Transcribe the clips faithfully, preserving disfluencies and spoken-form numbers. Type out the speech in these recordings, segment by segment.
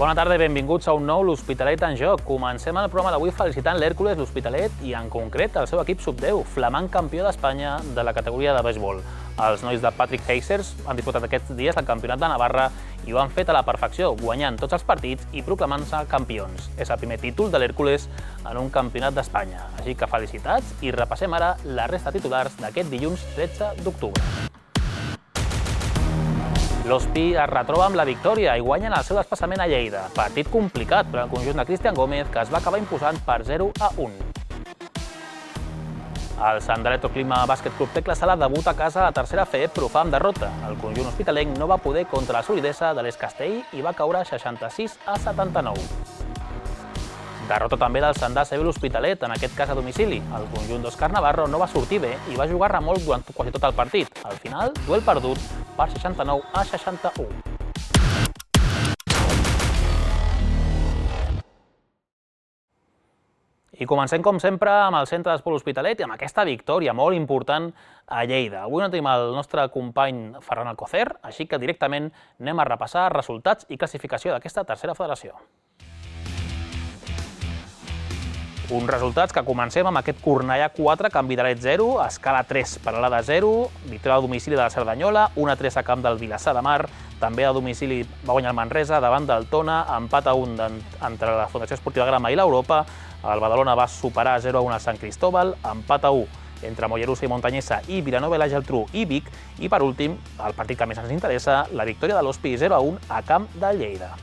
Bona tarda i benvinguts a un nou L'Hospitalet en joc. Comencem el programa d'avui felicitant l'Hèrcules, l'Hospitalet i, en concret, el seu equip sub deu, flamant campió d'Espanya de la categoria de béisbol. Els nois de Patrick Heisers han disputat aquests dies el campionat de Navarra i ho han fet a la perfecció, guanyant tots els partits i proclamant-se campions. És el primer títol de l'Hèrcules en un campionat d'Espanya. Així que felicitats i repassem ara la resta de titulars d'aquest dilluns tretze d'octubre. L'Hospi es retroba amb la victòria i guanyen el seu desplaçament a Lleida. Partit complicat per al conjunt de Cristian Gómez, que es va acabar imposant per zero a un. El Sant Electroclima Bàsquet Club Tecla Sala debuta a casa a la tercera F E, però fa amb derrota. El conjunt hospitalenc no va poder contra la solidesa de l'Escastell i va caure seixanta-sis a setanta-nou. Derrota també del Sant A C B l'Hospitalet, en aquest cas a domicili. El conjunt d'Òscar Navarro no va sortir bé i va jugar remolc durant quasi tot el partit. Al final, duel perdut per seixanta-nou a seixanta-u. I comencem, com sempre, amb el centre d'esport Hospitalet i amb aquesta victòria molt important a Lleida. Avui no tenim el nostre company Ferran Alcocer, així que directament anem a repassar resultats i classificació d'aquesta tercera federació. Uns resultats que comencem amb aquest Cornellà quatre, Camp Vitalet zero, Escala tres, Peralada zero, victòria a domicili de la Cerdanyola, un a tres a camp del Vilassar de Mar, també a domicili va guanyar el Manresa davant del Tona, empat a un entre la Fundació Esportiva Grama i l'Europa, el Badalona va superar zero a un al Sant Cristóbal, empat a u entre Mollerussa i Montanyesa i Vilanova i la Geltrú i Vic, i per últim, el partit que més ens interessa, la victòria de l'Hospi zero a un a camp de Lleida.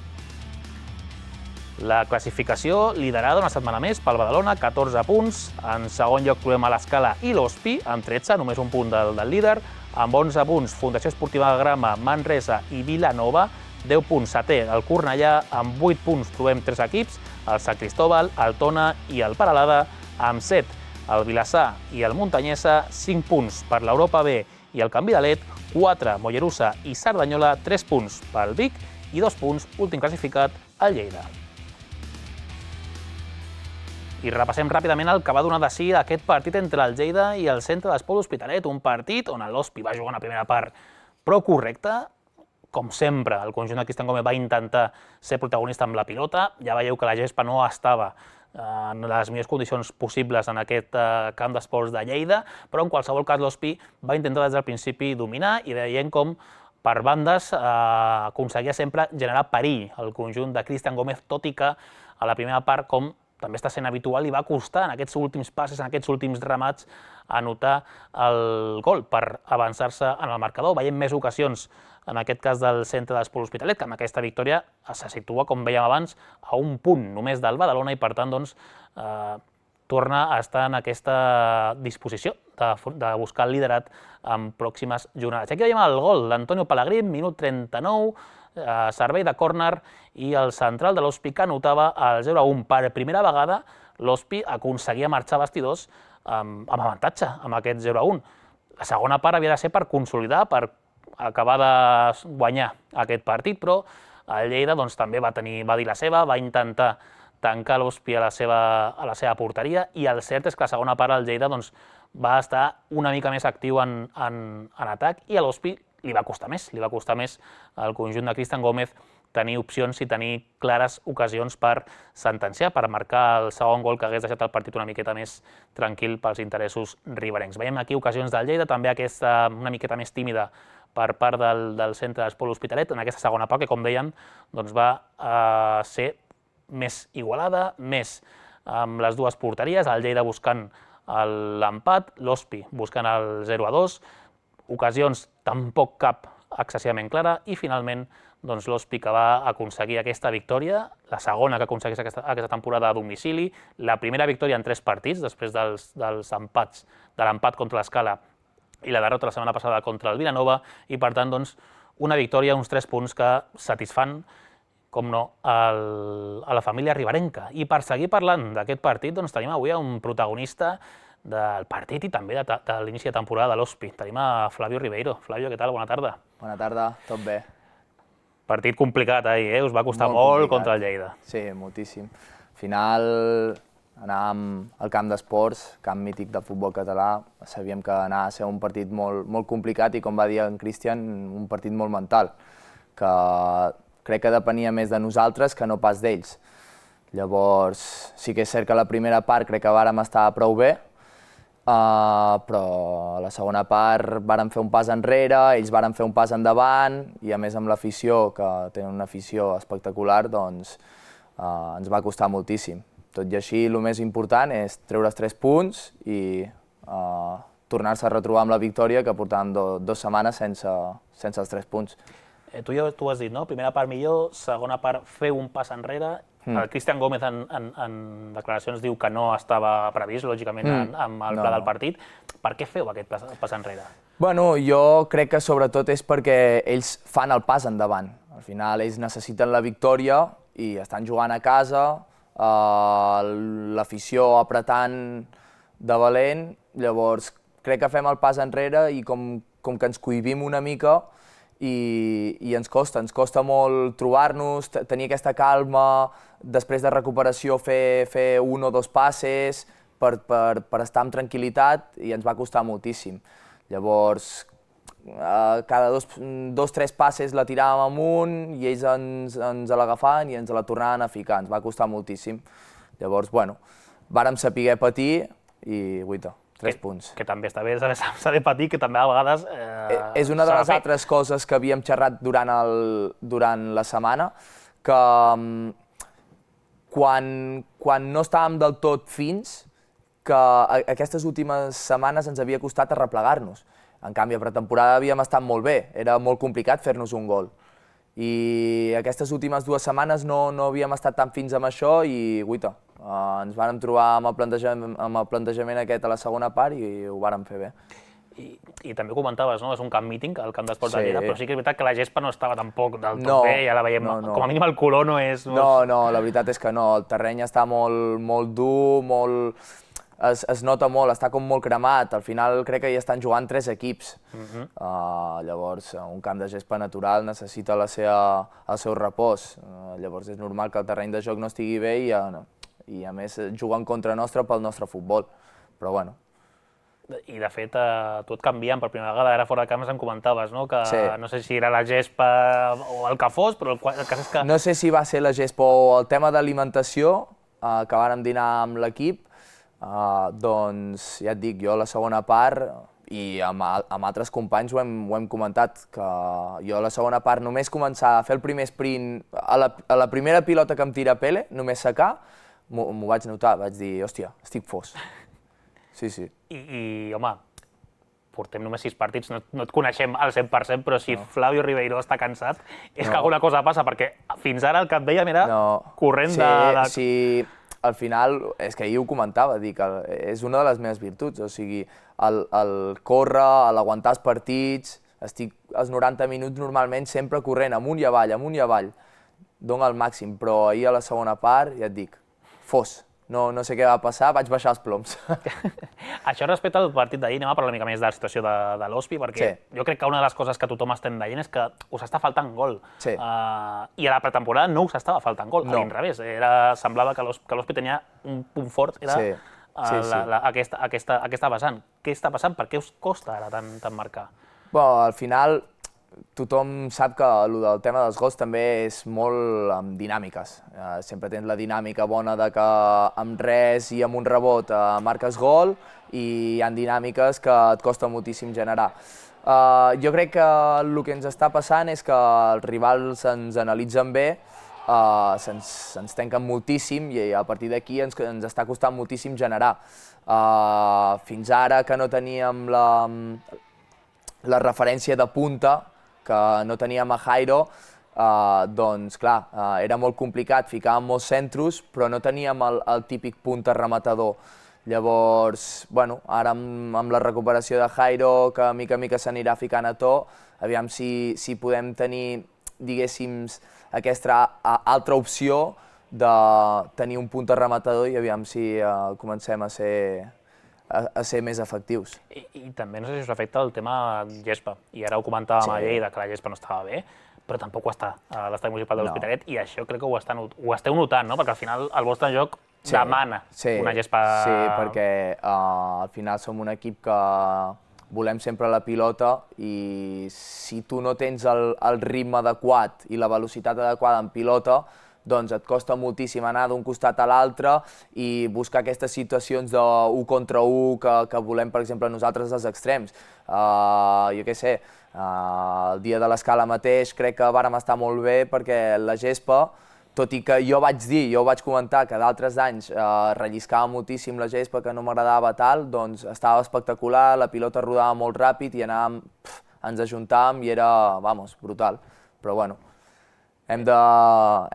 La classificació liderada una setmana més pel Badalona, catorze punts. En segon lloc trobem a l'Escala i l'Hospi, amb tretze, només un punt del, del líder. Amb onze punts, Fundació Esportiva Grama, Manresa i Vilanova. deu punts, setè, el Cornellà. Amb vuit punts trobem tres equips, el Sant Cristóbal, el Tona i el Peralada. Amb set, el Vilassar i el Montanyesa. cinc punts per l'Europa B i el Camp Vitalet. quatre, Mollerussa i Cerdanyola. tres punts pel Vic i dos punts, últim classificat, el Lleida. I repassem ràpidament el que va donar de si aquest partit entre el Lleida i el centre d'esport Hospitalet, un partit on l'Hospi va jugar una primera part prou correcta. Com sempre, el conjunt de Cristian Gómez va intentar ser protagonista amb la pilota. Ja veieu que la gespa no estava en les millors condicions possibles en aquest camp d'esports de Lleida, però en qualsevol cas l'Hospi va intentar des del principi dominar i veient com per bandes aconseguia sempre generar perill al conjunt de Cristian Gómez, tot i que a la primera part, com també està sent habitual, li va costar en aquests últims passes, en aquests últims remats, anotar el gol per avançar-se en el marcador. Veiem més ocasions, en aquest cas del centre d'esport Hospitalet, que amb aquesta victòria se situa, com vèiem abans, a un punt només del Badalona i, per tant, doncs, eh, torna a estar en aquesta disposició de, de buscar el liderat en pròximes jornades. Aquí veiem el gol d'Antonio Pellegrín, minut trenta-nou, eh, servei de córner, i el central de l'Hospi que anotava el zero a un. Per primera vegada l'Hospi aconseguia marxar a vestidors amb, amb avantatge, amb aquest zero a un. La segona part havia de ser per consolidar, per acabar de guanyar aquest partit, però el Lleida doncs, també va, tenir, va dir la seva, va intentar tancar l'Hospi a, la seva, a la seva porteria, i el cert és que la segona part el Lleida doncs, va estar una mica més actiu en, en, en atac, i a l'Hospi li va costar més, li va costar més al conjunt de Cristian Gómez tenir opcions i tenir clares ocasions per sentenciar, per marcar el segon gol que hagués deixat el partit una miqueta més tranquil pels interessos riberencs. Veiem aquí ocasions del Lleida, també aquesta una miqueta més tímida per part del, del centre d'esport Hospitalet, en aquesta segona part que, com deien, doncs va eh, ser més igualada, més amb les dues porteries, el Lleida buscant l'empat, l'Hospi buscant el zero a dos, ocasions tampoc cap excessivament clara, i finalment doncs, l'Hospi que va aconseguir aquesta victòria, la segona que aconsegueix aquesta, aquesta temporada a domicili, la primera victòria en tres partits, després dels, dels empats, de l'empat contra l'Escala i la derrota la setmana passada contra el Vilanova, i per tant doncs, una victòria, uns tres punts que satisfan, com no, el, a la família riberenca. I per seguir parlant d'aquest partit, doncs, tenim avui un protagonista del partit i també de, de l'inici de temporada de l'Hospi. Tenim a Flavio Ribeiro. Flavio, què tal? Bona tarda. Bona tarda, tot bé. Partit complicat ahir, eh? Us va costar molt, molt contra el Lleida. Sí, moltíssim. Al final anàvem al camp d'esports, camp mític del futbol català, sabíem que anava a ser un partit molt, molt complicat i, com va dir en Cristian, un partit molt mental, que crec que depenia més de nosaltres que no pas d'ells. Llavors, sí que és cert que la primera part crec que vàrem estar prou bé, uh, però a la segona part vàrem fer un pas enrere, ells vàrem fer un pas endavant, i a més amb l'afició, que tenen una afició espectacular, doncs uh, ens va costar moltíssim. Tot i així, el més important és treure els tres punts i uh, tornar-se a retrobar amb la victòria, que portàvem do, dues setmanes sense, sense els tres punts. Eh, tu ja t'ho has dit, no? Primera part millor, segona part fer un pas enrere. Mm. El Cristian Gómez en, en, en declaracions diu que no estava previst, lògicament, mm. en, amb el pla no. del partit. Per què feu aquest pas, pas enrere? Bueno, jo crec que sobretot és perquè ells fan el pas endavant. Al final ells necessiten la victòria i estan jugant a casa, uh, l'afició apretant de valent, llavors crec que fem el pas enrere i com, com que ens cohibim una mica, I, i ens costa, ens costa molt trobar-nos, tenir aquesta calma, després de recuperació fer, fer un o dos passes per, per, per estar amb tranquil·litat, i ens va costar moltíssim. Llavors, eh, cada dos, dos tres passes la tiràvem amunt i ells ens, ens l'agafaven i ens la tornaven a ficar, ens va costar moltíssim. Llavors, bueno, vàrem saber patir i guaita. Tres que, punts. Que també està bé saber patir, que també a vegades... Eh, és una de les altres coses que havíem xerrat durant, el, durant la setmana, que um, quan, quan no estàvem del tot fins, que a, aquestes últimes setmanes ens havia costat arreplegar-nos. En canvi, a pretemporada havíem estat molt bé, era molt complicat fer-nos un gol. I aquestes últimes dues setmanes no, no havíem estat tan fins amb això i, guaita, Uh, ens vàrem trobar amb el, plantejament, amb el plantejament aquest a la segona part i ho vàrem fer bé. I, i també comentaves, no? És un camp míting, el camp d'esports sí. de Lleida, però sí que és veritat que la gespa no estava tampoc del tot no, bé, ja la veiem, no, no. com a mínim el color no és... No, no, la veritat és que no, el terreny està molt, molt dur, molt... Es, es nota molt, està com molt cremat, al final crec que hi estan jugant tres equips. Uh-huh. uh, llavors, un camp de gespa natural necessita la seva, el seu repòs, uh, llavors és normal que el terreny de joc no estigui bé i, uh, no. i a més juguen contra nostre pel nostre futbol, però bueno. I de fet, eh, tu et canvien per primera vegada, ara fora de camp em comentaves, no? Que sí. no sé si era la gespa o el que fos, però el, el cas és que... No sé si va ser la gespa o el tema d'alimentació, eh, que vàrem dinar amb l'equip, eh, doncs ja et dic, jo a la segona part, i amb, amb altres companys ho hem, ho hem comentat, que jo a la segona part només començar a fer el primer sprint, a la, a la primera pilota que em tira Pele, només secar, m'ho vaig notar, vaig dir, hòstia, estic fos. Sí, sí. I, i home, portem només sis partits, no, no et coneixem al cent per cent, però si no. Flavio Ribeiro està cansat, és no. que alguna cosa passa, perquè fins ara el que et dèiem era no. corrent sí, de, de... Sí, al final, és que ahir ho comentava, dic, és una de les meves virtuts, o sigui, el, el córrer, l'aguantar els partits, estic els noranta minuts normalment sempre corrent amunt i avall, amunt i avall, dona el màxim, però ahir a la segona part, ja et dic, fos. No, no sé què va passar, vaig baixar els ploms. Això respecte al partit d'ahir, anem a parlar una mica més de la situació de, de l'Hospi, perquè sí. jo crec que una de les coses que tothom estem veient és que us està faltant gol. Sí. Uh, I a la pretemporada no us estava faltant gol, no. a l'inrevés. Era, semblava que l'Hospi tenia un punt fort, era sí. Sí, uh, la, la, aquesta, aquesta, aquesta vessant. Què està passant? Per què us costa ara tant, tant marcar? Bueno, al final, tothom sap que el del tema dels gols també és molt amb dinàmiques. Eh, sempre tens la dinàmica bona de que amb res i amb un rebot eh, marques gol i hi ha dinàmiques que et costa moltíssim generar. Eh, jo crec que el que ens està passant és que els rivals ens analitzen bé, eh, se'ns se'ns tanquen moltíssim i a partir d'aquí ens, ens està costant moltíssim generar. Eh, fins ara que no teníem la, la referència de punta, que no teníem a Jairo, eh, doncs clar, eh, era molt complicat, ficàvem molts centros, però no teníem el, el típic punta rematador. Llavors, bueno, ara amb, amb la recuperació de Jairo, que mica a mica s'anirà ficant a to, aviam si, si podem tenir, diguéssim, aquesta altra opció de tenir un punta rematador i aviam si eh, comencem a ser... A, a ser més efectius. I, I també no sé si us afecta el tema gespa. I ara ho comentàvem sí. a Lleida, que la gespa no estava bé, però tampoc ho està a l'estadi municipal de l'Hospitalet, no. i això crec que ho, estan, ho esteu notant, no? Perquè al final el vostre joc sí. demana sí. una gespa... Sí, perquè uh, al final som un equip que volem sempre la pilota i si tu no tens el, el ritme adequat i la velocitat adequada en pilota, doncs et costa moltíssim anar d'un costat a l'altre i buscar aquestes situacions d'un contra un que, que volem, per exemple, nosaltres als extrems. Uh, jo què sé, uh, el dia de l'escala mateix crec que vàrem estar molt bé perquè la gespa, tot i que jo vaig dir, jo vaig comentar que d'altres anys eh, relliscava moltíssim la gespa, que no m'agradava tal, doncs estava espectacular, la pilota rodava molt ràpid i anàvem, pf, ens ajuntàvem i era, vamos, brutal. Però bueno, hem de,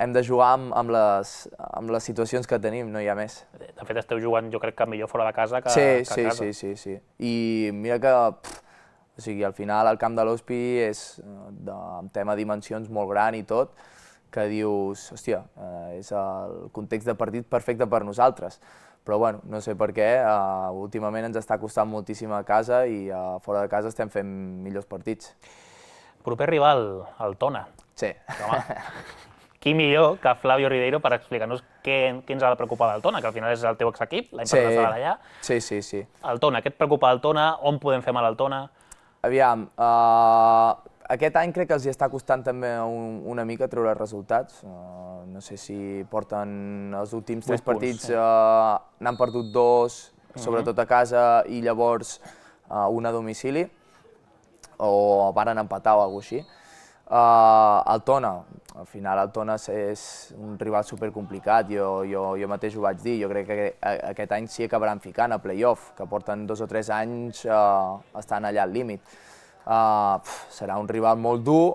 hem de jugar amb, amb, les, amb les situacions que tenim, no hi ha més. De fet, esteu jugant, jo crec que millor fora de casa que, sí, que sí, a casa. Sí, sí, sí. I mira que, pf, o sigui, al final el camp de l'Hospi és de, en tema dimensions molt gran i tot, que dius, hòstia, eh, és el context de partit perfecte per nosaltres. Però bueno, no sé per què, eh, últimament ens està costant moltíssim a casa i eh, fora de casa estem fent millors partits. Proper rival, el Tona. Sí. Home, qui millor que Flavio Ribeiro per explicar-nos què, què ens ha de preocupar del Tona, que al final és el teu exequip, l'any passat estava allà. Sí, sí, sí. El Tona, què et preocupa del Tona? On podem fer mal al Tona? Aviam, uh, aquest any crec que els hi està costant també un, una mica treure resultats. Uh, no sé si porten els últims tres partits, uh, n'han perdut dos, sobretot a casa, i llavors uh, un a domicili, o varen empatar o alguna cosa així. Uh, el Tona, al final el Tona és un rival supercomplicat, jo, jo, jo mateix ho vaig dir, jo crec que aquest any sí acabaran ficant a playoff, que porten dos o tres anys uh, estan allà al límit. Uh, pf, serà un rival molt dur,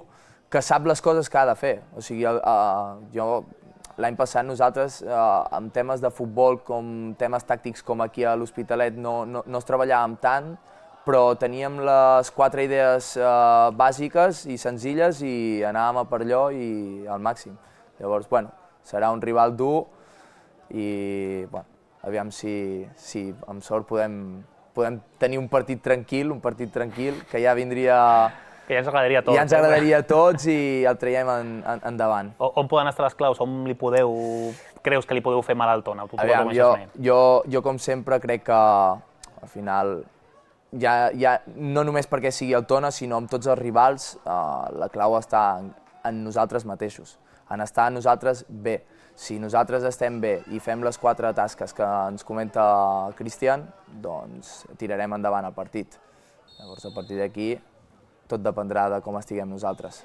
que sap les coses que ha de fer. O sigui, uh, jo l'any passat nosaltres, uh, en temes de futbol, com temes tàctics com aquí a l'Hospitalet, no, no, no es treballàvem tant, però teníem les quatre idees uh, bàsiques i senzilles i anàvem a per allò i al màxim. Llavors, bueno, serà un rival dur i, bueno, aviam si, si amb sort podem, podem tenir un partit tranquil, un partit tranquil, que ja vindria... Que ja ens agradaria a tots. Ja ens agradaria a tots i el traiem en, en, endavant. O, on poden estar les claus? On li podeu... creus que li podeu fer mal al Tona? Aviam, jo, jo, jo com sempre crec que al final, ja, ja, no només perquè sigui el Tona, sinó amb tots els rivals, uh, la clau està en, en nosaltres mateixos, en estar nosaltres bé. Si nosaltres estem bé i fem les quatre tasques que ens comenta Cristian, doncs tirarem endavant el partit. Llavors, a partir d'aquí, tot dependrà de com estiguem nosaltres.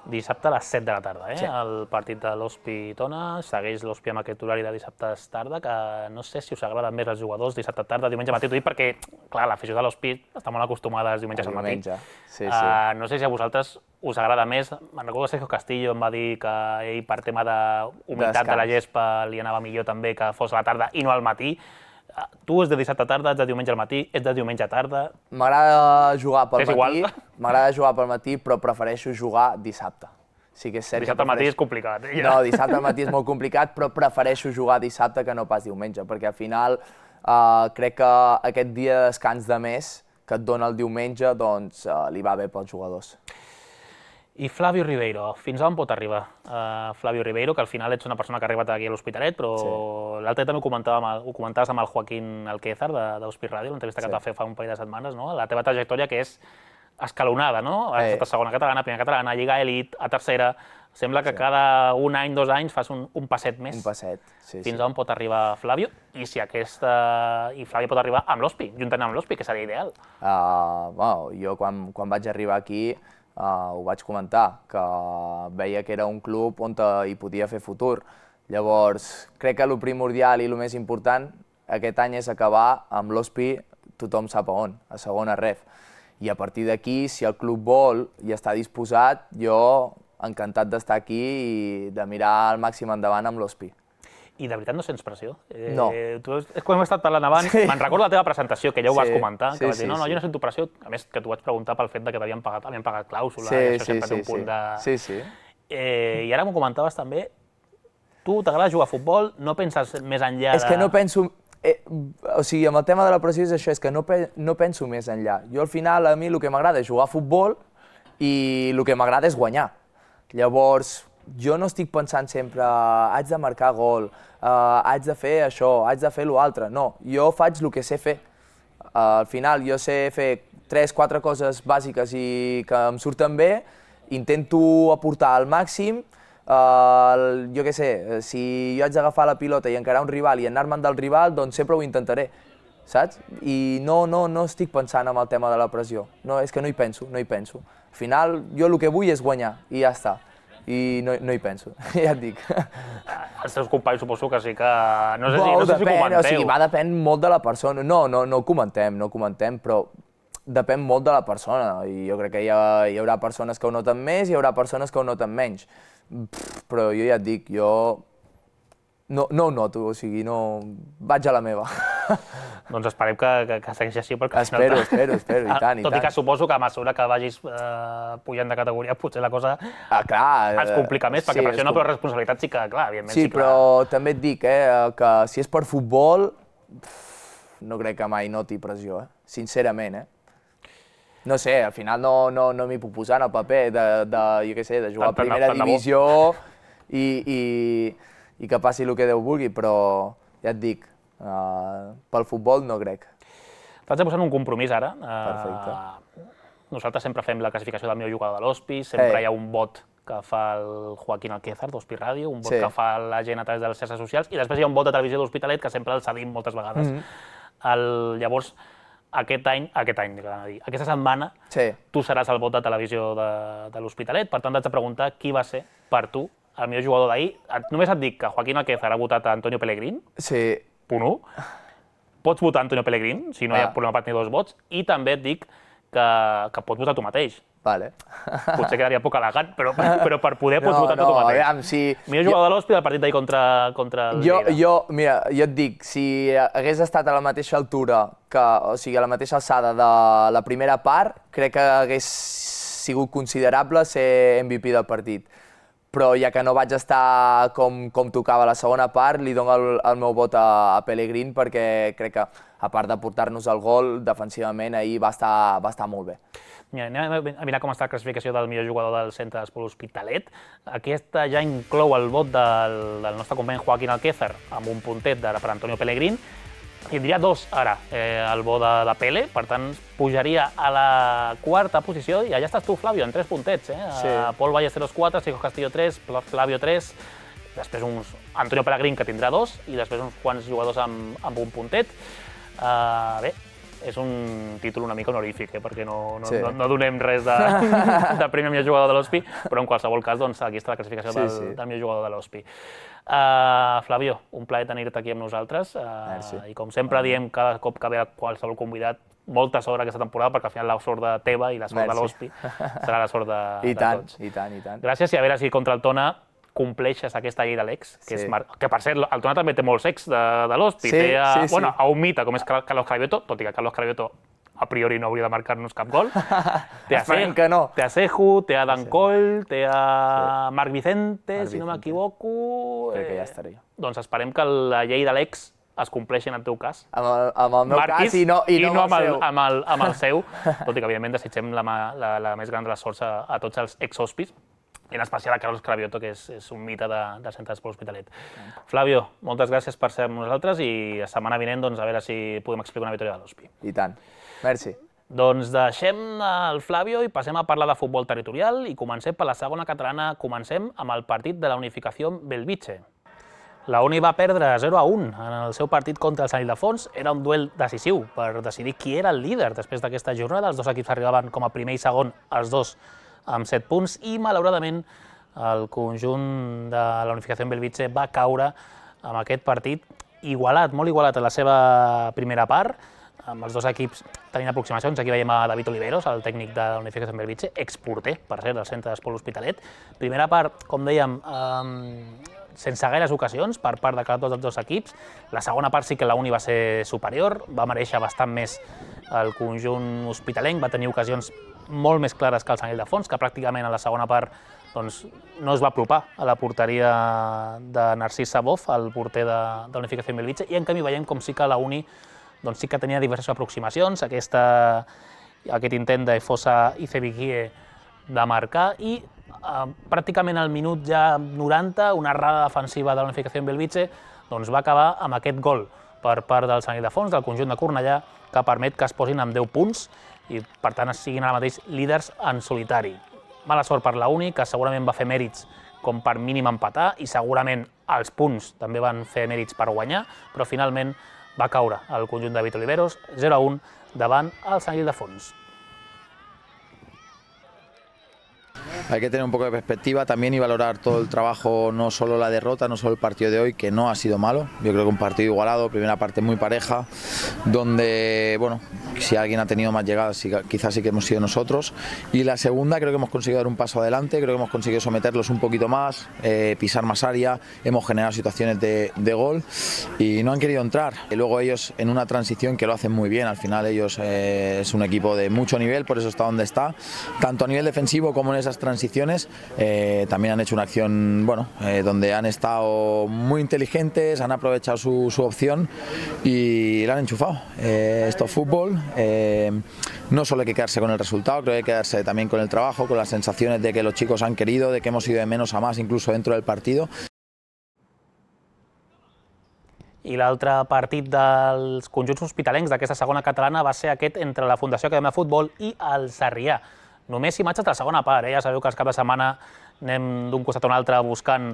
Dissabte a les set de la tarda, eh? Sí. El partit de l'Hospi-Tona, segueix l'Hospi amb aquest horari de dissabtes tarda, que no sé si us agrada més als jugadors, dissabte tarda, diumenge matí, t'ho dic perquè, clar, l'afició de l'Hospi està molt acostumada als diumenges al matí. Diumenge, sí, sí. Uh, no sé si a vosaltres us agrada més. Me'n recordo que Sergio Castillo em va dir que ell, per tema d'humitat de la gespa, li anava millor també que fos a la tarda i no al matí. Tu ets de dissabte tarda, ets de diumenge al matí, ets de diumenge a tarda... M'agrada jugar pel És matí, igual? m'agrada jugar pel matí, però prefereixo jugar dissabte. Sí que és cert Dissabte que al matí prefereixo... és complicat. Eh? No, dissabte al matí és molt complicat, però prefereixo jugar dissabte que no pas diumenge, perquè al final eh, crec que aquest dia de descans de mes que et dona el diumenge, doncs eh, li va bé pels jugadors. I Flavio Ribeiro, fins on pot arribar? Uh, Flavio Ribeiro, que al final ets una persona que ha arribat aquí a l'Hospitalet, però sí. L'altre també ho, comentava amb el, ho comentaves amb el Joaquín Alquézar d'Hospi Ràdio, l'entrevista que sí. et va fer fa un parell de setmanes, no? La teva trajectòria que és escalonada, no? Has estat a segona catalana, primera catalana, Lliga Elit, a tercera... Sembla que sí. cada un any, dos anys fas un, un passet més. Un passet, sí. Fins sí. on pot arribar Flavio i si aquesta... i Flavio pot arribar amb l'Hospi, juntament amb l'Hospi, que seria ideal. Uh, bueno, jo quan, quan vaig arribar aquí Uh, ho vaig comentar, que veia que era un club on hi podia fer futur. Llavors, crec que el primordial i el més important aquest any és acabar amb l'Hospi, tothom sap a on, a segona ref. I a partir d'aquí, si el club vol i està disposat, jo encantat d'estar aquí i de mirar al màxim endavant amb l'Hospi. I de veritat no sents pressió? Eh, no. Tu, quan hem estat parlant abans, sí. me'n recordo la teva presentació, que ja ho sí. vas comentar, que sí, vas dir, no, no, sí. jo no sento pressió, a més que t'ho vaig preguntar pel fet de que t'havien pagat, havien pagat clàusula, sí, i això sí, sempre sí, té un punt sí. de... Sí, sí. Eh, I ara m'ho comentaves també, tu t'agrada jugar a futbol, no penses més enllà de... És que no penso... Eh, o sigui, amb el tema de la pressió és això, és que no, pe no penso més enllà. Jo al final, a mi el que m'agrada és jugar a futbol i el que m'agrada és guanyar. Llavors, jo no estic pensant sempre, haig de marcar gol, uh, haig de fer això, haig de fer l'altre. No, jo faig el que sé fer. Uh, al final, jo sé fer tres, quatre coses bàsiques i que em surten bé, intento aportar al màxim. Uh, jo què sé, si jo haig d'agafar la pilota i encarar un rival i anar-me'n del rival, doncs sempre ho intentaré, saps? I no, no, no estic pensant en el tema de la pressió, no, és que no hi penso, no hi penso. Al final, jo el que vull és guanyar i ja està, i no, no hi penso, ja et dic. Els teus companys suposo que sí que... No sé si, Wow, no sé si depèn, comenteu. o sigui, va depèn molt de la persona, no, no, no ho comentem, no ho comentem, però depèn molt de la persona i jo crec que hi, ha, hi haurà persones que ho noten més i hi haurà persones que ho noten menys. Pff, però jo ja et dic, jo no, no ho noto, o sigui, no... vaig a la meva. Doncs esperem que, que, que segueixi així, perquè... Espero, espero, espero, i tant, i Tot i tant. que suposo que a mesura que vagis eh, pujant de categoria, potser la cosa Ah, clar, es complica més, perquè sí, pressió es no, com- però responsabilitat sí que, clar, evidentment Sí, sí que... però també et dic eh, que si és per futbol, pff, no crec que mai noti pressió, eh? Sincerament, eh? No sé, al final no, no, no m'hi puc posar en el paper de, de, jo què sé, de jugar a Tant- tant- primera tant de bo. divisió i, i, i que passi el que Déu vulgui, però ja et dic, uh, pel futbol no crec. T'haig de posar en un compromís ara. Eh, Perfecte. Nosaltres sempre fem la classificació del millor jugador de l'Hospi, sempre Ei. hi ha un vot que fa el Joaquín Alquézar d'Hospi Ràdio, un vot Sí. que fa la gent a través de les xarxes socials, i després hi ha un vot de televisió d'Hospitalet que sempre el cedim moltes vegades. el, llavors, aquest any, aquest any, dic, anava a dir, aquesta setmana, Sí. tu seràs el vot de televisió de, de l'Hospitalet, per tant t'haig de preguntar qui va ser, per tu, el millor jugador d'ahir. Et- Només et dic que Joaquín Alquézar ha votat a Antonio Pellegrín, Sí, punt u. Pots votar Antonio Pellegrín, si no hi ha Ah. problema per tenir dos vots, i també et dic que, que pots votar tu mateix. vale. Potser quedaria poc elegant, però, però per poder pots No, votar no, tu mateix. aviam, si... Millor jugador de l'Hospi del partit d'ahir contra, contra el Jo, Lleida. jo, mira, jo et dic, si hagués estat a la mateixa altura, que, o sigui, a la mateixa alçada de la primera part, crec que hagués sigut considerable ser M V P del partit. Però ja que no vaig estar com, com tocava la segona part, li dono el, el meu vot a, a Pellegrín perquè crec que, a part de portar-nos el gol, defensivament ahir va estar, va estar molt bé. Mira, anem a mirar com està la classificació del millor jugador del centre d'Esport Hospitalet. Aquesta ja inclou el vot del, del nostre company Joaquín Alquézar, amb un puntet de, per Antonio Pellegrín. Tindria dos ara, eh, el vot de, de Pele, per tant pujaria a la quarta posició i allà estàs tu, Flavio, amb tres puntets. Eh? Sí. Uh, Pol Ballesteros quatre, Chico Castillo tres, Flavio tres, després uns Antonio Pellegrín, que tindrà dos, i després uns quants jugadors amb, amb un puntet. Uh, bé, és un títol una mica honorífic, eh? perquè no, no, Sí. no, no donem res de, de premi al millor jugador de l'Hospi, però en qualsevol cas doncs, aquí està la classificació Sí, del, sí. del millor jugador de l'Hospi. Uh, Flavio, un plaer tenir-te aquí amb nosaltres, uh, Merci. i com sempre diem cada cop que ve qualsevol convidat, molta sort aquesta temporada, perquè al final la sort de teva i la sort de Merci. l'Hospi serà la sort de, I de tant, tots. i tant, i tant. Gràcies, i a veure si contra el Tona compleixes aquesta llei de l'ex, que, Sí. és mar... que per cert, el Tona també té molts ex de, de l'Hospi. Sí, té a, sí, sí. bueno, a un mite, com és Car- Carlos Cravioto, tot i que Carlos Cravioto a priori no hauria de marcar-nos cap gol. Té a Esperem Se- que no. Té a Seju, té a Dan Coll, té a Marc Vicente, Marc si no Vicente. m'equivoco. Crec que ja estaré. Doncs esperem que la llei de l'ex es compleixi en el teu cas. Amb el, amb el meu Marquis, cas i no, i no, amb, el, el seu. amb, el, amb el seu, tot i que evidentment desitgem la, ma- la, la més gran de les sorts a, a tots els ex-hospis, i en especial a Carlos Cravioto, que és, és un mite de, de Centre d'Esport Hospitalet. Flavio, moltes gràcies per ser amb nosaltres i la setmana vinent doncs, a veure si podem explicar una victòria de l'Hospi. I tant. Merci. Doncs deixem el Flavio i passem a parlar de futbol territorial i comencem per la segona catalana. Comencem amb el partit de la Unificació Belvitge. La Uni va perdre zero a un en el seu partit contra el Sant Ildefons. Era un duel decisiu per decidir qui era el líder després d'aquesta jornada. Els dos equips arribaven com a primer i segon, els dos amb set punts, i malauradament el conjunt de la Unificació Belvitge va caure amb aquest partit igualat, molt igualat a la seva primera part, amb els dos equips tenint aproximacions. Aquí veiem a David Oliveros, el tècnic de la Unificació Belvitge, exporter, per cert, del Centre d'Esport Hospitalet. Primera part, com dèiem, eh, sense gaires ocasions per part de cada dos dels dos equips. La segona part sí que la Uni va ser superior, va mereixer bastant més el conjunt hospitalenc, va tenir ocasions molt més clares que el Sant Ildefons, que pràcticament a la segona part doncs, no es va apropar a la porteria de Narcís Sabov, el porter de, de l'Unificació Belvitge, i en canvi veiem com sí que la Uni doncs, sí que tenia diverses aproximacions, aquesta, aquest intent de Fossa i Cebiquie de marcar, i eh, pràcticament al minut ja noranta, una errada defensiva de la Unificació Belvitge doncs, va acabar amb aquest gol per part del Sant Ildefons, del conjunt de Cornellà, que permet que es posin amb deu punts i, per tant, siguin ara mateix líders en solitari. Mala sort per la Uni, que segurament va fer mèrits com per mínim empatar, i segurament els punts també van fer mèrits per guanyar, però finalment va caure el conjunt de Vito Oliveros, zero a un, davant el Sant Ildefons. Hay que tener un poco de perspectiva también y valorar todo el trabajo, no solo la derrota, no solo el partido de hoy, que no ha sido malo. Yo creo que un partido igualado, primera parte muy pareja, donde, bueno, si alguien ha tenido más llegadas, sí, quizás sí que hemos sido nosotros. Y la segunda, creo que hemos conseguido dar un paso adelante, creo que hemos conseguido someterlos un poquito más, eh, pisar más área, hemos generado situaciones de, de gol y no han querido entrar. Y luego ellos en una transición que lo hacen muy bien, al final ellos eh, es un equipo de mucho nivel, por eso está donde está, tanto a nivel defensivo como en esas transiciones. Eh, también han hecho una acción, bueno, eh, donde han estado muy inteligentes, han aprovechado su, su opción y la han enchufado. Eh, esto es fútbol, eh, no solo hay que quedarse con el resultado, creo que hay que quedarse también con el trabajo, con las sensaciones de que los chicos han querido, de que hemos ido de menos a más incluso dentro del partido. I l'altre partit dels conjunts hospitalencs d'aquesta segona catalana va ser aquest entre la Fundació Acadèmia de Futbol i el Sarrià. Només imatges de la segona part, eh? Ja sabeu que els cap de setmana anem d'un costat a un altre buscant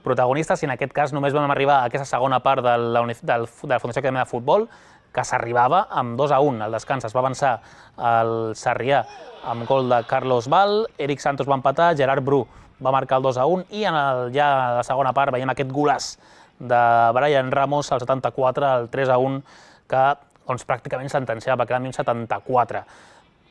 protagonistes i en aquest cas només vam arribar a aquesta segona part de la, de la Fundació Acadèmia de Futbol, que s'arribava amb dos a un. Al descans es va avançar el Sarrià amb gol de Carlos Val, Eric Santos va empatar, Gerard Bru va marcar el dos a un i en el, ja a la segona part veiem aquest golaç de Brian Ramos al setanta-quatre, el tres a un, que doncs, pràcticament sentenciava, va quedar en setanta-quatre.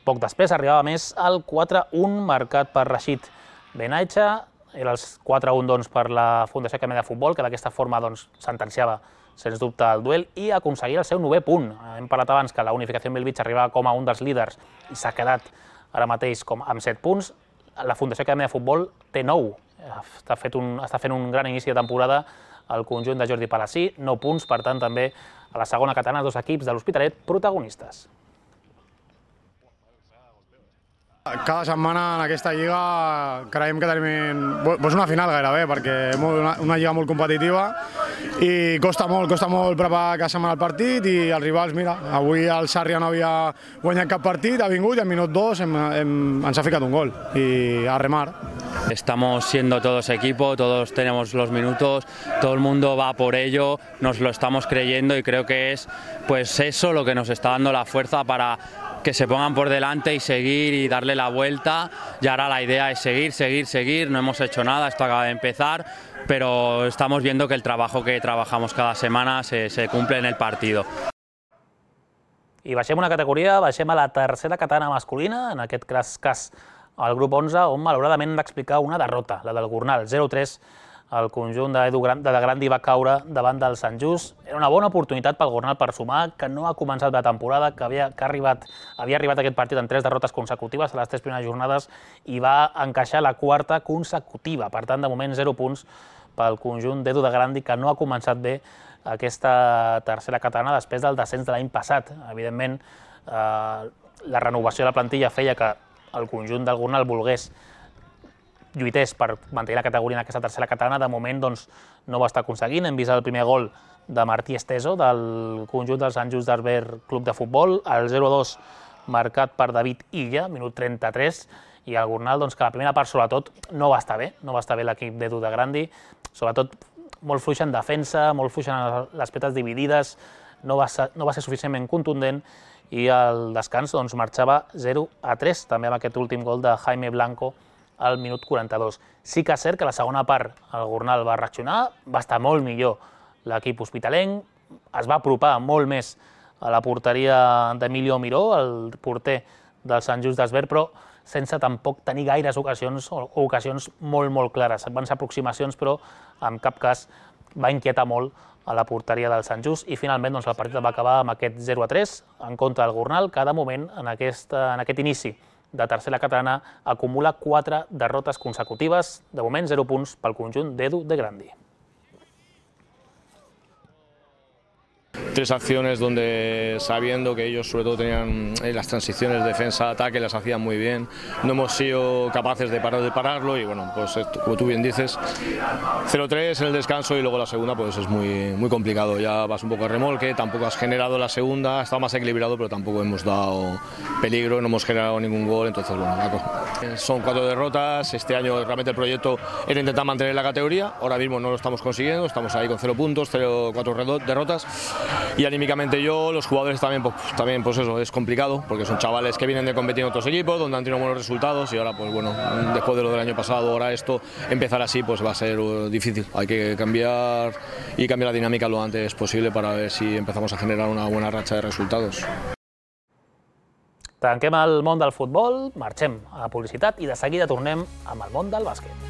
Poc després arribava més el quatre a un marcat per Rashid Benaicha, era el quatre a un doncs, per la Fundació Acadèmia de Futbol, que d'aquesta forma doncs, sentenciava sens dubte el duel i aconseguia el seu novè punt. Hem parlat abans que la Unificació Belvitge arribava com a un dels líders i s'ha quedat ara mateix com amb set punts. La Fundació Acadèmia de Futbol té nou, està, fet un, està fent un gran inici de temporada el conjunt de Jordi Palací, nou punts, per tant també a la segona catalana dos equips de l'Hospitalet protagonistes. Cada setmana en aquesta lliga creiem que tenim doncs una final gairebé, perquè és una, una lliga molt competitiva i costa molt, costa molt preparar cada setmana el partit i els rivals, mira, avui el Sarrià no havia guanyat cap partit, ha vingut i al minut dos hem, hem, ens ha ficat un gol i a remar. Estamos siendo todos equipo, todos tenemos los minutos, todo el mundo va por ello, nos lo estamos creyendo y creo que es pues eso lo que nos está dando la fuerza para que se pongan por delante y seguir y darle la vuelta. Y ahora la idea es seguir, seguir, seguir, no hemos hecho nada, esto acaba de empezar, pero estamos viendo que el trabajo que trabajamos cada semana se, se cumple en el partido. I baixem una categoria, baixem a la tercera catalana masculina, en aquest cas al grup onze, on malauradament hem d'explicar una derrota, la del Gornal, zero a tres. El conjunt de De Grandi va caure davant del Sant Just. Era una bona oportunitat pel Gornal per sumar, que no ha començat la temporada, que havia, que ha arribat, havia arribat aquest partit en tres derrotes consecutives a les tres primeres jornades i va encaixar la quarta consecutiva. Per tant, de moment, zero punts pel conjunt d'Edu de Grandi, que no ha començat bé aquesta tercera catalana després del descens de l'any passat. Evidentment, eh, la renovació de la plantilla feia que el conjunt del Gornal volgués lluités per mantenir la categoria en aquesta tercera catalana. De moment doncs, no ho està aconseguint. Hem vist el primer gol de Martí Esteso del conjunt del Sant Just d'Arber Club de Futbol, el zero a dos marcat per David Illa, minut trenta-tres, i el Gornal, doncs, que la primera part sobretot no va estar bé, no va estar bé l'equip d'Edu de Grandi, sobretot molt fluix en defensa, molt fluix en les petes dividides, no va ser, no va ser suficientment contundent i el descans doncs, marxava zero a tres, també amb aquest últim gol de Jaime Blanco al minut quaranta-dos. Sí que és cert que la segona part el Gornal va reaccionar, va estar molt millor l'equip hospitalenc, es va apropar molt més a la porteria d'Emilio Miró, el porter del Sant Just d'Esbert, però sense tampoc tenir gaires ocasions o ocasions molt, molt clares. Van ser aproximacions, però en cap cas va inquietar molt a la porteria del Sant Just i finalment doncs, el partit va acabar amb aquest zero a tres en contra del Gornal, que de moment en aquest, en aquest inici de tercera catalana acumula quatre derrotes consecutives, de moment zero punts pel conjunt d'Edu de Grandi. tres acciones donde, sabiendo que ellos sobre todo tenían las transiciones defensa-ataque, las hacían muy bien, no hemos sido capaces de, parar, de pararlo y bueno, pues esto, como tú bien dices, cero tres en el descanso y luego la segunda pues es muy, muy complicado, ya vas un poco a remolque, tampoco has generado la segunda, está más equilibrado pero tampoco hemos dado peligro, no hemos generado ningún gol, entonces bueno, son cuatro derrotas, este año realmente el proyecto era intentar mantener la categoría, ahora mismo no lo estamos consiguiendo, estamos ahí con cero puntos, cero, cuatro derrotas y anímicamente yo, los jugadores también, pues, también pues eso, es complicado porque son chavales que vienen de competir en otros equipos donde han tenido buenos resultados y ahora pues bueno, después de lo del año pasado, ahora esto, empezar así pues va a ser difícil, hay que cambiar y cambiar la dinámica lo antes posible para ver si empezamos a generar una buena racha de resultados. Tanquem el món del futbol, marxem a publicitat i de seguida tornem amb el món del bàsquet.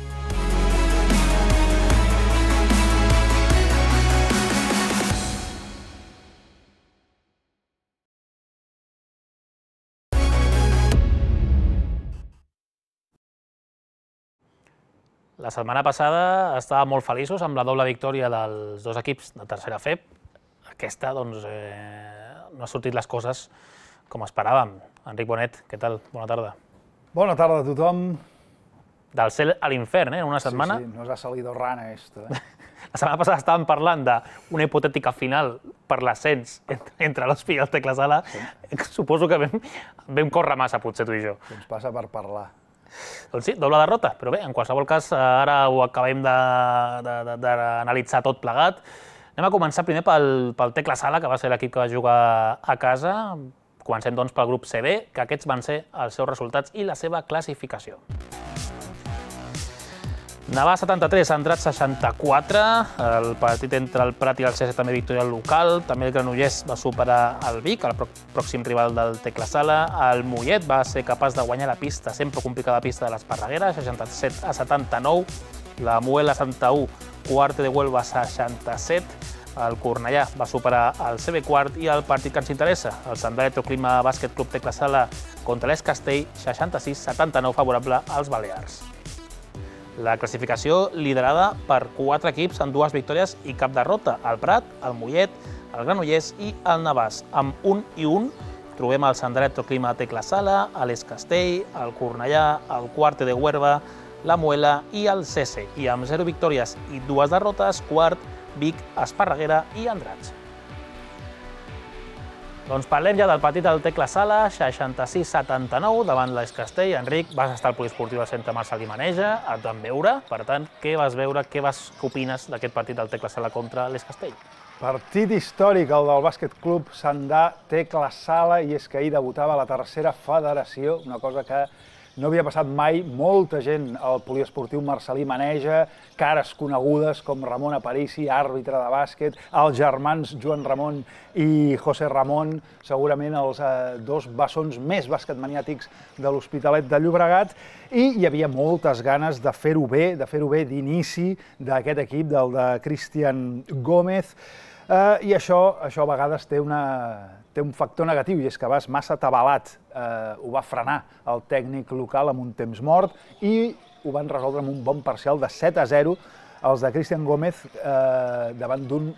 La setmana passada estàvem molt feliços amb la doble victòria dels dos equips de tercera F E P. Aquesta, doncs, eh, no ha sortit les coses com esperàvem. Enric Bonet, què tal? Bona tarda. Bona tarda a tothom. Del cel a l'infern, eh, en una setmana. Sí, sí, nos ha salido rana esto. Eh? La setmana passada estàvem parlant d'una hipotètica final per l'ascens entre l'Hospi i el Tecla Sala. Sí. Suposo que vam, vam córrer massa, potser, tu i jo. Ens passa per parlar. Doncs sí, doble derrota, però bé, en qualsevol cas, ara ho acabem d'analitzar tot plegat. Anem a començar primer pel, pel Tecla Sala, que va ser l'equip que va jugar a casa. Comencem doncs pel grup C B, que aquests van ser els seus resultats i la seva classificació. Navàs setanta-tres, Andratx seixanta-quatre, el partit entre el Prat i el C S també victòria local, també el Granollers va superar el Vic, el pròxim rival del Tecla Sala, el Mollet va ser capaç de guanyar la pista, sempre complicada pista de l'Esparreguera, seixanta-set a setanta-nou, la Muela setanta-u, Cuarte de Huelva seixanta-set, el Cornellà va superar el C B quart i el partit que ens interessa, el Sant Electroclima Bàsquet Club Tecla Sala contra l'Es Castell, seixanta-sis a setanta-nou favorable als Balears. La classificació liderada per quatre equips amb dues victòries i cap derrota, el Prat, el Mollet, el Granollers i el Navàs. Amb un i un trobem el Sant Electroclima Tecla Sala, l'Es Castell, el Cornellà, el Cuarte de Huelva, la Muela i el C S. I amb zero victòries i dues derrotes, quart, Vic, Esparreguera i Andratx. Doncs parlem ja del partit del Tecla Sala, seixanta-sis a setanta-nou davant l'Es Castell. Enric, vas estar al poliesportiu del Centre Marçal i Maneja, et van veure. Per tant, què vas veure, què vas, què opines d'aquest partit del Tecla Sala contra l'Es Castell? Partit històric, el del Bàsquet Club Sandà Tecla Sala, i és que ahir debutava la tercera federació, una cosa que no havia passat mai. Molta gent al poliesportiu marçalí Maneja, cares conegudes com Ramon Aparici, àrbitre de bàsquet, els germans Joan Ramon i José Ramon, segurament els eh, dos bessons més basquetmaniàtics de l'Hospitalet de Llobregat, i hi havia moltes ganes de fer-ho bé, de fer-ho bé d'inici d'aquest equip, del de Cristian Gómez, eh, i això, això a vegades té una... té un factor negatiu, i és que vas massa atabalat. Eh, ho va frenar el tècnic local amb un temps mort i ho van resoldre amb un bon parcial de set a zero els de Cristian Gómez eh, davant d'un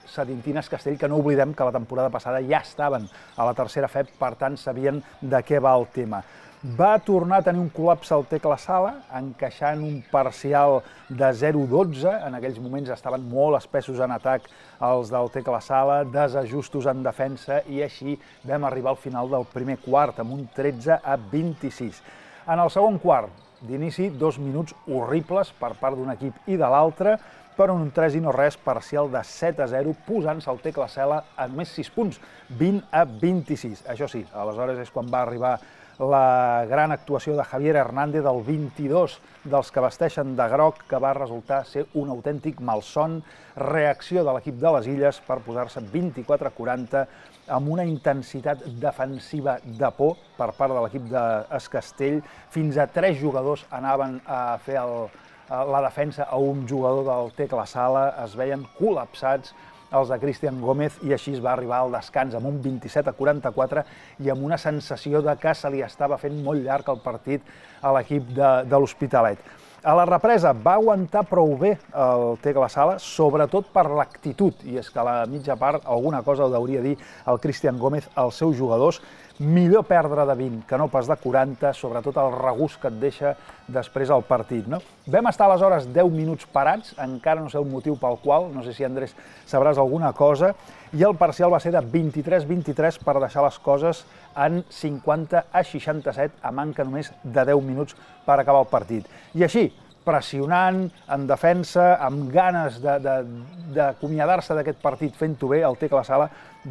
Sedintines Castell, que no oblidem que la temporada passada ja estaven a la tercera F E P, per tant sabien de què va el tema. Va tornar a tenir un col·lapse al Tecla Sala, encaixant un parcial de zero a dotze. En aquells moments estaven molt espessos en atac els del Tecla Sala, desajustos en defensa, i així vam arribar al final del primer quart, amb un tretze a vint-i-sis. En el segon quart, d'inici, dos minuts horribles per part d'un equip i de l'altre, però un tres i no res, parcial de set a zero, posant-se el Tecla Sala a només sis punts, vint a vint-i-sis. Això sí, aleshores és quan va arribar la gran actuació de Javier Hernández, del vint-i-dos dels que vesteixen de groc, que va resultar ser un autèntic malson. Reacció de l'equip de les Illes per posar-se vint-i-quatre a quaranta amb una intensitat defensiva de por per part de l'equip d'Es Castell. Fins a tres jugadors anaven a fer el, la defensa a un jugador del Tecla Sala, es veien col·lapsats els de Cristian Gómez, i així es va arribar al descans amb un vint-i-set a quaranta-quatre i amb una sensació de que se li estava fent molt llarg el partit a l'equip de, de l'Hospitalet. A la represa va aguantar prou bé el Tecla Sala, sobretot per l'actitud, i és que a la mitja part alguna cosa ho hauria de dir el Cristian Gómez als seus jugadors. Millor perdre de vint que no pas de quaranta, sobretot el regust que et deixa després el partit. No? Vam estar aleshores deu minuts parats, encara no sé el motiu pel qual, no sé si Andrés sabràs alguna cosa, i el parcial va ser de vint-i-tres vint-i-tres per deixar les coses en cinquanta a seixanta-set, a manca només de deu minuts per acabar el partit. I així, pressionant, en defensa, amb ganes d'acomiadar-se d'aquest partit fent-ho bé, el Tecla Sala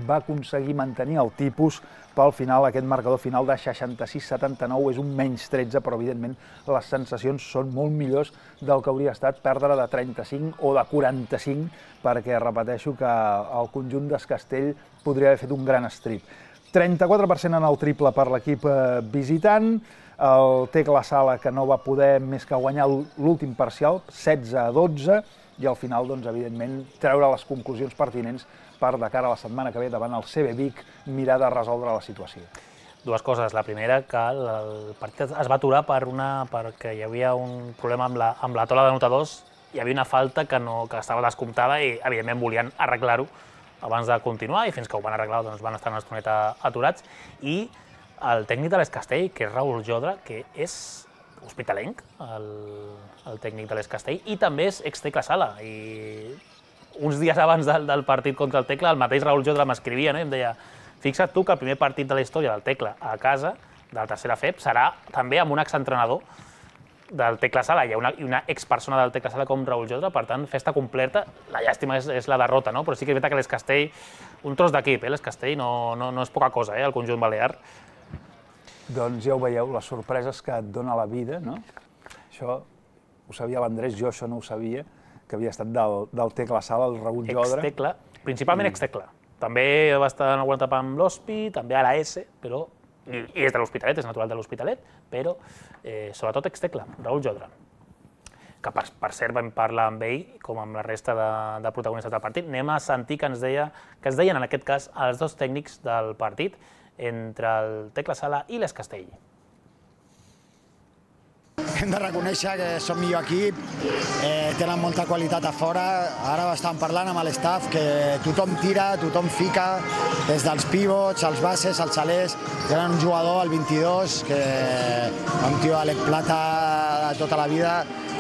va aconseguir mantenir el tipus. Pel final, aquest marcador final de seixanta-sis a setanta-nou és un menys tretze, però evidentment les sensacions són molt millors del que hauria estat perdre de trenta-cinc o de quaranta-cinc, perquè repeteixo que el conjunt d'Es Castell podria haver fet un gran strip. trenta-quatre per cent en el triple per l'equip visitant, el Tecla Sala que no va poder més que guanyar l'últim parcial, setze a dotze, i al final, doncs, evidentment, treure les conclusions pertinents per, de cara a la setmana que ve, davant el C B Vic, mirar de resoldre la situació. Dues coses. La primera, que el partit es va aturar per una, perquè hi havia un problema amb la, amb la taula d'anotadors, hi havia una falta que, no, que estava descomptada i, evidentment, volien arreglar-ho abans de continuar, i fins que ho van arreglar doncs, van estar una estoneta aturats. I el tècnic de l'Es Castell, que és Raül Jodra, que és hospitalenc, el, el tècnic de l'Es Castell, i també és ex-Tecla Sala. I uns dies abans del, del partit contra el Tecla, el mateix Raül Jodra m'escrivia, no? I em deia, fixa't tu que el primer partit de la història del Tecla a casa, de la tercera F E P, serà també amb un exentrenador del Tecla Sala. Hi ha una, una expersona del Tecla Sala com Raül Jodra, per tant, festa completa. La llàstima és, és la derrota, no? Però sí que és veritat que l'Es Castell, un tros d'equip, eh? L'Es Castell no, no, no és poca cosa, eh? El conjunt balear. Doncs ja ho veieu, les sorpreses que et dona la vida, no? Això ho sabia l'Andrés, jo això no ho sabia, que havia estat del, del Tecla Sala, el Raül Jodra. Ex-Tecla, principalment ex-Tecla. També va estar en alguna etapa amb l'Hospi, també a la S, però, i, i és de l'Hospitalet, és natural de l'Hospitalet, però eh, sobretot ex-Tecla, Raül Jodra. Que per, per cert vam parlar amb ell, com amb la resta de, de protagonistes del partit. Anem a sentir que ens deia, que es deien en aquest cas els dos tècnics del partit, entre el Tecla Sala i l'Es Castell. Hem de reconèixer que som millor equip, eh, tenen molta qualitat a fora. Ara estàvem parlant amb l'estaf que tothom tira, tothom fica, des dels pivots, els bases, els salers. Tenen un jugador, el vint-i-dos, que un tio Alec Plata de tota la vida,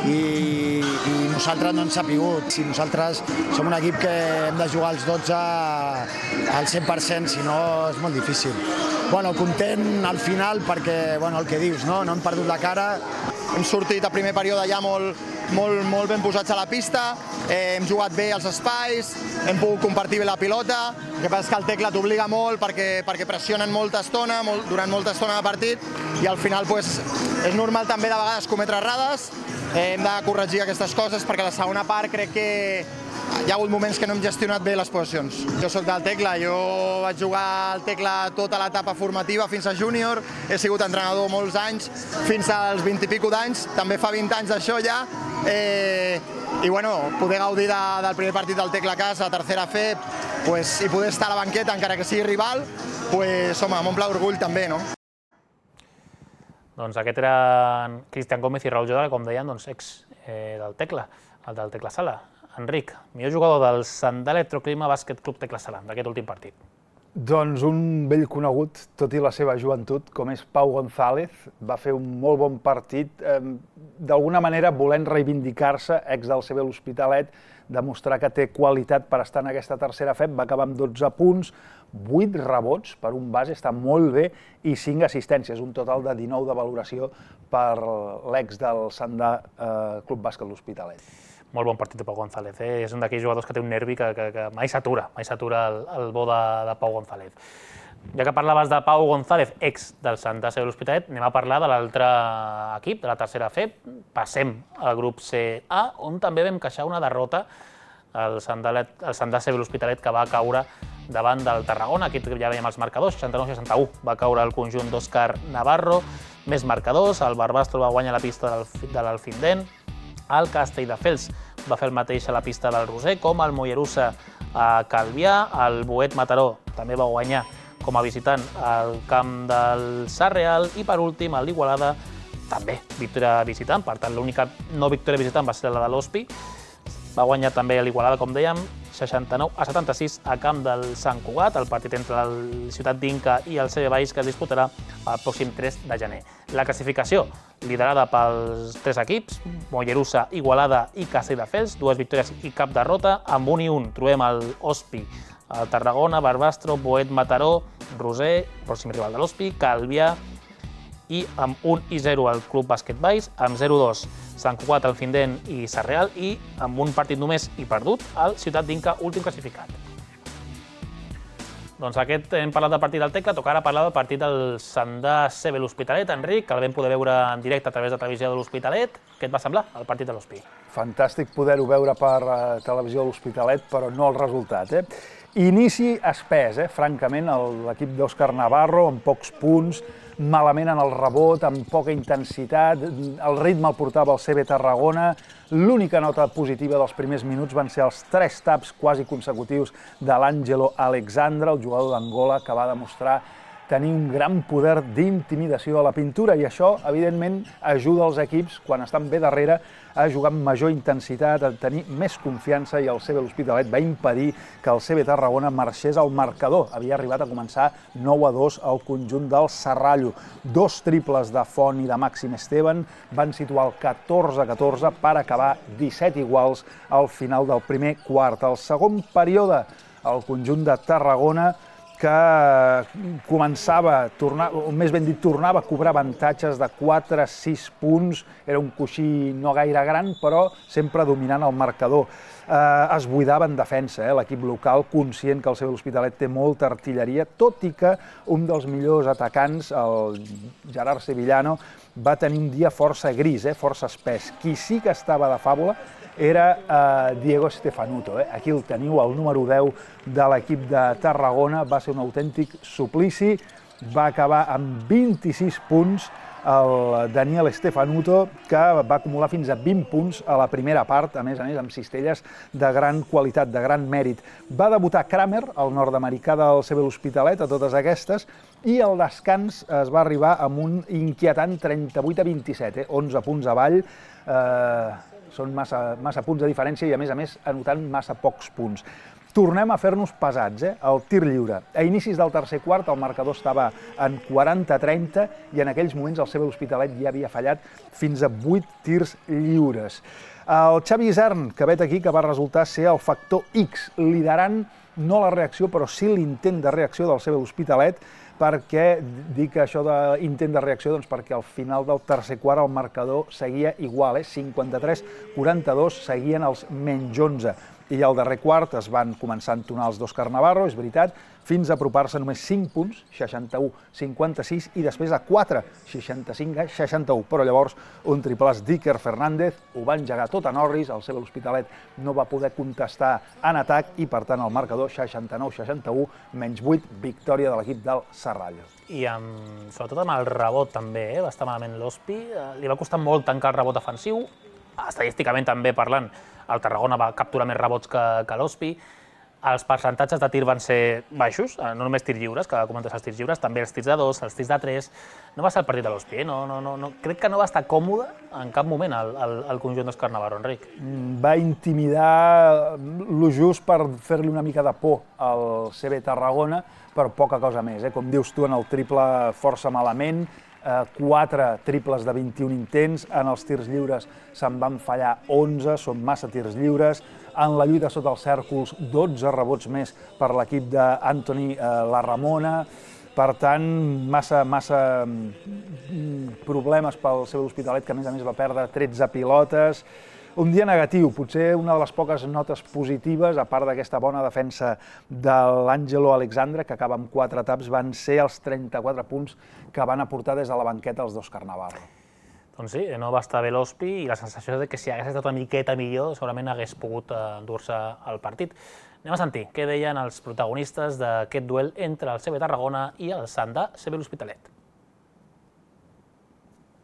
i, i nosaltres no ens ha pigut. Si nosaltres som un equip que hem de jugar als dotze al cent per cent, si no és molt difícil. Bueno, content al final perquè, bueno, el que dius, no? No hem perdut la cara. Hem sortit a primer període ja molt, molt, molt ben posats a la pista, eh, hem jugat bé als espais, hem pogut compartir bé la pilota. El que passa és que el Tecla t'obliga molt perquè, perquè pressionen molta estona, molt, durant molta estona de partit, i al final pues, és normal també de vegades cometre errades. Eh, hem de corregir aquestes coses perquè a la segona part crec que hi ha hagut moments que no hem gestionat bé les posicions. Jo soc del Tecla, jo vaig jugar al Tecla tota l'etapa formativa fins a júnior, he sigut entrenador molts anys, fins als vint i pico d'anys, també fa vint anys d'això ja, eh, i bueno, poder gaudir de, del primer partit del Tecla a casa, tercera F E P, pues, i poder estar a la banqueta encara que sigui rival, pues, home, m'omple orgull també, no? Doncs aquest eren Cristian Gómez i Raül Jodra, com deien, doncs, ex eh, del Tecla, el del Tecla Sala. Enric, millor jugador del Sandà Electroclima Bàsquet Club Tecla Sala, d'aquest últim partit. Doncs un vell conegut, tot i la seva joventut, com és Pau González, va fer un molt bon partit, eh, d'alguna manera volent reivindicar-se, ex del C B l'Hospitalet, demostrar que té qualitat per estar en aquesta tercera F E P, va acabar amb dotze punts, vuit rebots per un base, està molt bé, i cinc assistències, un total de dinou de valoració per l'ex del Sandà eh, Club Bàsquet l'Hospitalet. Molt bon partit de Pau González, eh? És un d'aquells jugadors que té un nervi que, que, que mai s'atura, mai s'atura el, el bo de, de Pau González. Ja que parlaves de Pau González, ex del Sandà C B l'Hospitalet, anem a parlar de l'altre equip, de la tercera F E P. Passem al grup C A, on també vam queixar una derrota al Sandà, el Sandà C B l'Hospitalet, que va caure davant del Tarragona. Aquí ja veiem els marcadors, seixanta-nou a seixanta-u va caure el conjunt d'Òscar Navarro. Més marcadors, el Barbastro va guanyar la pista de l'Alfindent, el Castelldefels va fer el mateix a la pista del Roser, com el Mollerussa a Calvià, el Boet Mataró també va guanyar com a visitant al camp del Sarreal, i per últim el d'Igualada també victòria visitant, per tant l'única no victòria visitant va ser la de l'Hospi. Va guanyar també l'Igualada, com dèiem, seixanta-nou a setanta-sis a camp del Sant Cugat, el partit entre el Ciutat d'Inca i el C B Baix que es disputarà el pròxim tres de gener. La classificació, liderada pels tres equips, Mollerussa, Igualada i Castelldefels, dues victòries i cap derrota. Amb un i un trobem el Hospi, el Tarragona, Barbastro, Boet, Mataró, Roser, pròxim rival de l'Hospi, Calvià, i amb un i zero el Club Bàsquet Baix, amb zero a dos Sant Cugat, el Findent i Sarreal, i amb un partit només i perdut, el Ciutat d'Inca, últim classificat. Doncs aquest hem parlat del partit del Tecla, toca ara parlar del partit del Sandà C B l'Hospitalet. Enric, que el vam poder veure en directe a través de televisió de l'Hospitalet. Què et va semblar, el partit de l'Hospi? Fantàstic poder-ho veure per televisió de l'Hospitalet, però no el resultat. Inici espès, francament, l'equip d'Òscar Navarro, amb pocs punts, malament en el rebot, amb poca intensitat, el ritme el portava el C B Tarragona. L'única nota positiva dels primers minuts van ser els tres taps quasi consecutius de l'Àngelo Alexandre, el jugador d'Angola, que va demostrar tenir un gran poder d'intimidació a la pintura, i això, evidentment, ajuda els equips, quan estan bé darrere, a jugar amb major intensitat, a tenir més confiança, i el C B l'Hospitalet va impedir que el C B Tarragona marxés al marcador. Havia arribat a començar nou a dos al conjunt del Serrallo. Dos triples de Font i de Màxim Esteban van situar el catorze a catorze per acabar disset iguals al final del primer quart. Al segon període, el conjunt de Tarragona, que començava, o més ben dit, tornava a cobrar avantatges de quatre a sis punts. Era un coixí no gaire gran, però sempre dominant el marcador. Es buidava en defensa, l'equip local, conscient que el C B l'Hospitalet té molta artilleria, tot i que un dels millors atacants, el Gerard Sevillano, va tenir un dia força gris, força espès. Qui sí que estava de fàbula era Diego Stefanuto. Aquí el teniu, el número deu de l'equip de Tarragona. Va ser un autèntic suplici. Va acabar amb vint-i-sis punts el Daniel Stefanuto, que va acumular fins a vint punts a la primera part, a més a més amb cistelles de gran qualitat, de gran mèrit. Va debutar Kramer, el nord-americà del C B l'Hospitalet, a totes aquestes, i al descans es va arribar amb un inquietant trenta-vuit a vint-i-set, onze punts avall. Són massa punts de diferència i, a més a més, anotant massa pocs punts. Tornem a fer-nos pesats, el tir lliure. A inicis del tercer quart el marcador estava en quaranta a trenta i en aquells moments el C B l'Hospitalet ja havia fallat fins a vuit tirs lliures. El Xavi Isern, que vet aquí, que va resultar ser el factor X, liderant no la reacció, però sí l'intent de reacció del C B l'Hospitalet. Per què dic això d'intent de reacció? Doncs perquè al final del tercer quart el marcador seguia igual, cinquanta-tres a quaranta-dos, seguien els menys onze. I al darrer quart es van començar a entonar els d'Òscar Navarro, és veritat, fins a apropar-se només cinc punts, seixanta-u a cinquanta-sis, i després a quatre, seixanta-cinc a seixanta-u. Però llavors un triplàs d'Iker Fernández ho va engegar tot a Norris, el C B l'Hospitalet no va poder contestar en atac i, per tant, el marcador seixanta-nou a seixanta-u, menys vuit, victòria de l'equip del Serrallo. I sobretot amb el rebot també, va estar malament l'Hospi, li va costar molt tancar el rebot defensiu, estadísticament també parlant, el Tarragona va capturar més rebots que l'Hospi. Els percentatges de tir van ser baixos, no només tirs lliures, que comentes els tirs lliures, també els tirs de dos, els tirs de tres. No va ser el partit de l'Hospi, crec que no va estar còmode en cap moment el conjunt d'Òscar Navarro, Enric. Va intimidar lo just per fer-li una mica de por al C B Tarragona, però poca cosa més. Com dius tu, en el triple força malament, quatre triples de vint-i-un intents, en els tirs lliures se'n van fallar onze, són massa tirs lliures, en la lluita sota els cèrcols dotze rebots més per l'equip d'Antoni Larramona, per tant, massa problemes pel C B l'Hospitalet, que a més a més va perdre tretze pilotes. Un dia negatiu, potser una de les poques notes positives, a part d'aquesta bona defensa de l'Àngelo Alexandre, que acaba amb quatre taps, van ser els trenta-quatre punts que van aportar des de la banqueta els d'Òscar Navarro. Doncs sí, no va estar bé l'Hospi i la sensació de que si hagués estat una miqueta millor segurament hagués pogut endur-se el partit. Anem a sentir què deien els protagonistes d'aquest duel entre el C B Tarragona i el Sandà C B l'Hospitalet.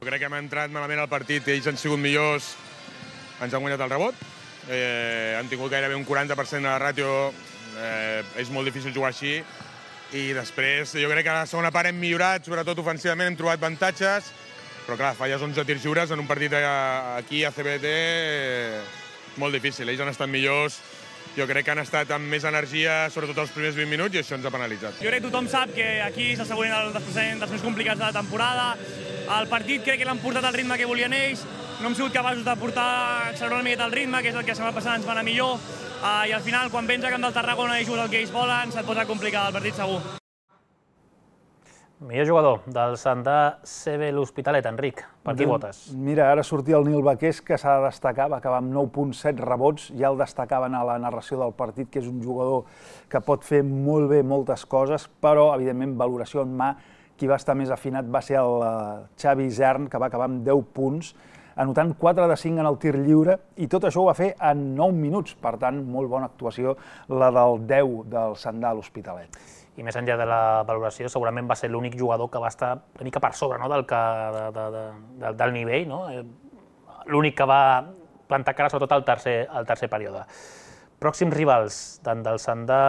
Crec que hem entrat malament al partit, ells han sigut millors, ens han guanyat el rebot, han tingut gairebé un quaranta per cent de la ràtio, és molt difícil jugar així, i després jo crec que a la segona part hem millorat, sobretot ofensivament, hem trobat avantatges, Però clar, falles onze tirs lliures en un partit aquí a C B T molt difícil. Ells han estat millors, jo crec que han estat amb més energia, sobretot els primers vint minuts, i això ens ha penalitzat. Jo crec que tothom sap que aquí és el següent dels, dels més complicats de la temporada. El partit crec que l'han portat al ritme que volien ells, no hem sigut capaços de portar, accelerar una miqueta el ritme, que és el que la setmana passada ens va anar millor, uh, i al final, quan vens a camp del Tarragona i jugues el que ells volen, se't posa complicat el partit segur. Millor jugador del Sandà C B l'Hospitalet, Enric, per qui votes? Mira, ara sortia el Nil Baqués, que s'ha de destacar, va acabar amb nou coma set rebots, ja el destacaven a la narració del partit, que és un jugador que pot fer molt bé moltes coses, però, evidentment, valoració en mà, qui va estar més afinat va ser el Xavi Isern, que va acabar amb deu punts, anotant quatre de cinc en el tir lliure, i tot això ho va fer en nou minuts, per tant, molt bona actuació la del deu del Sandà a l'Hospitalet. I més enllà de la valoració, segurament va ser l'únic jugador que va estar una mica per sobre, no?, del, que, de, de, de, del nivell, no? L'únic que va plantar cara, sobretot al tercer, al tercer període. Pròxims rivals, tant del Sandà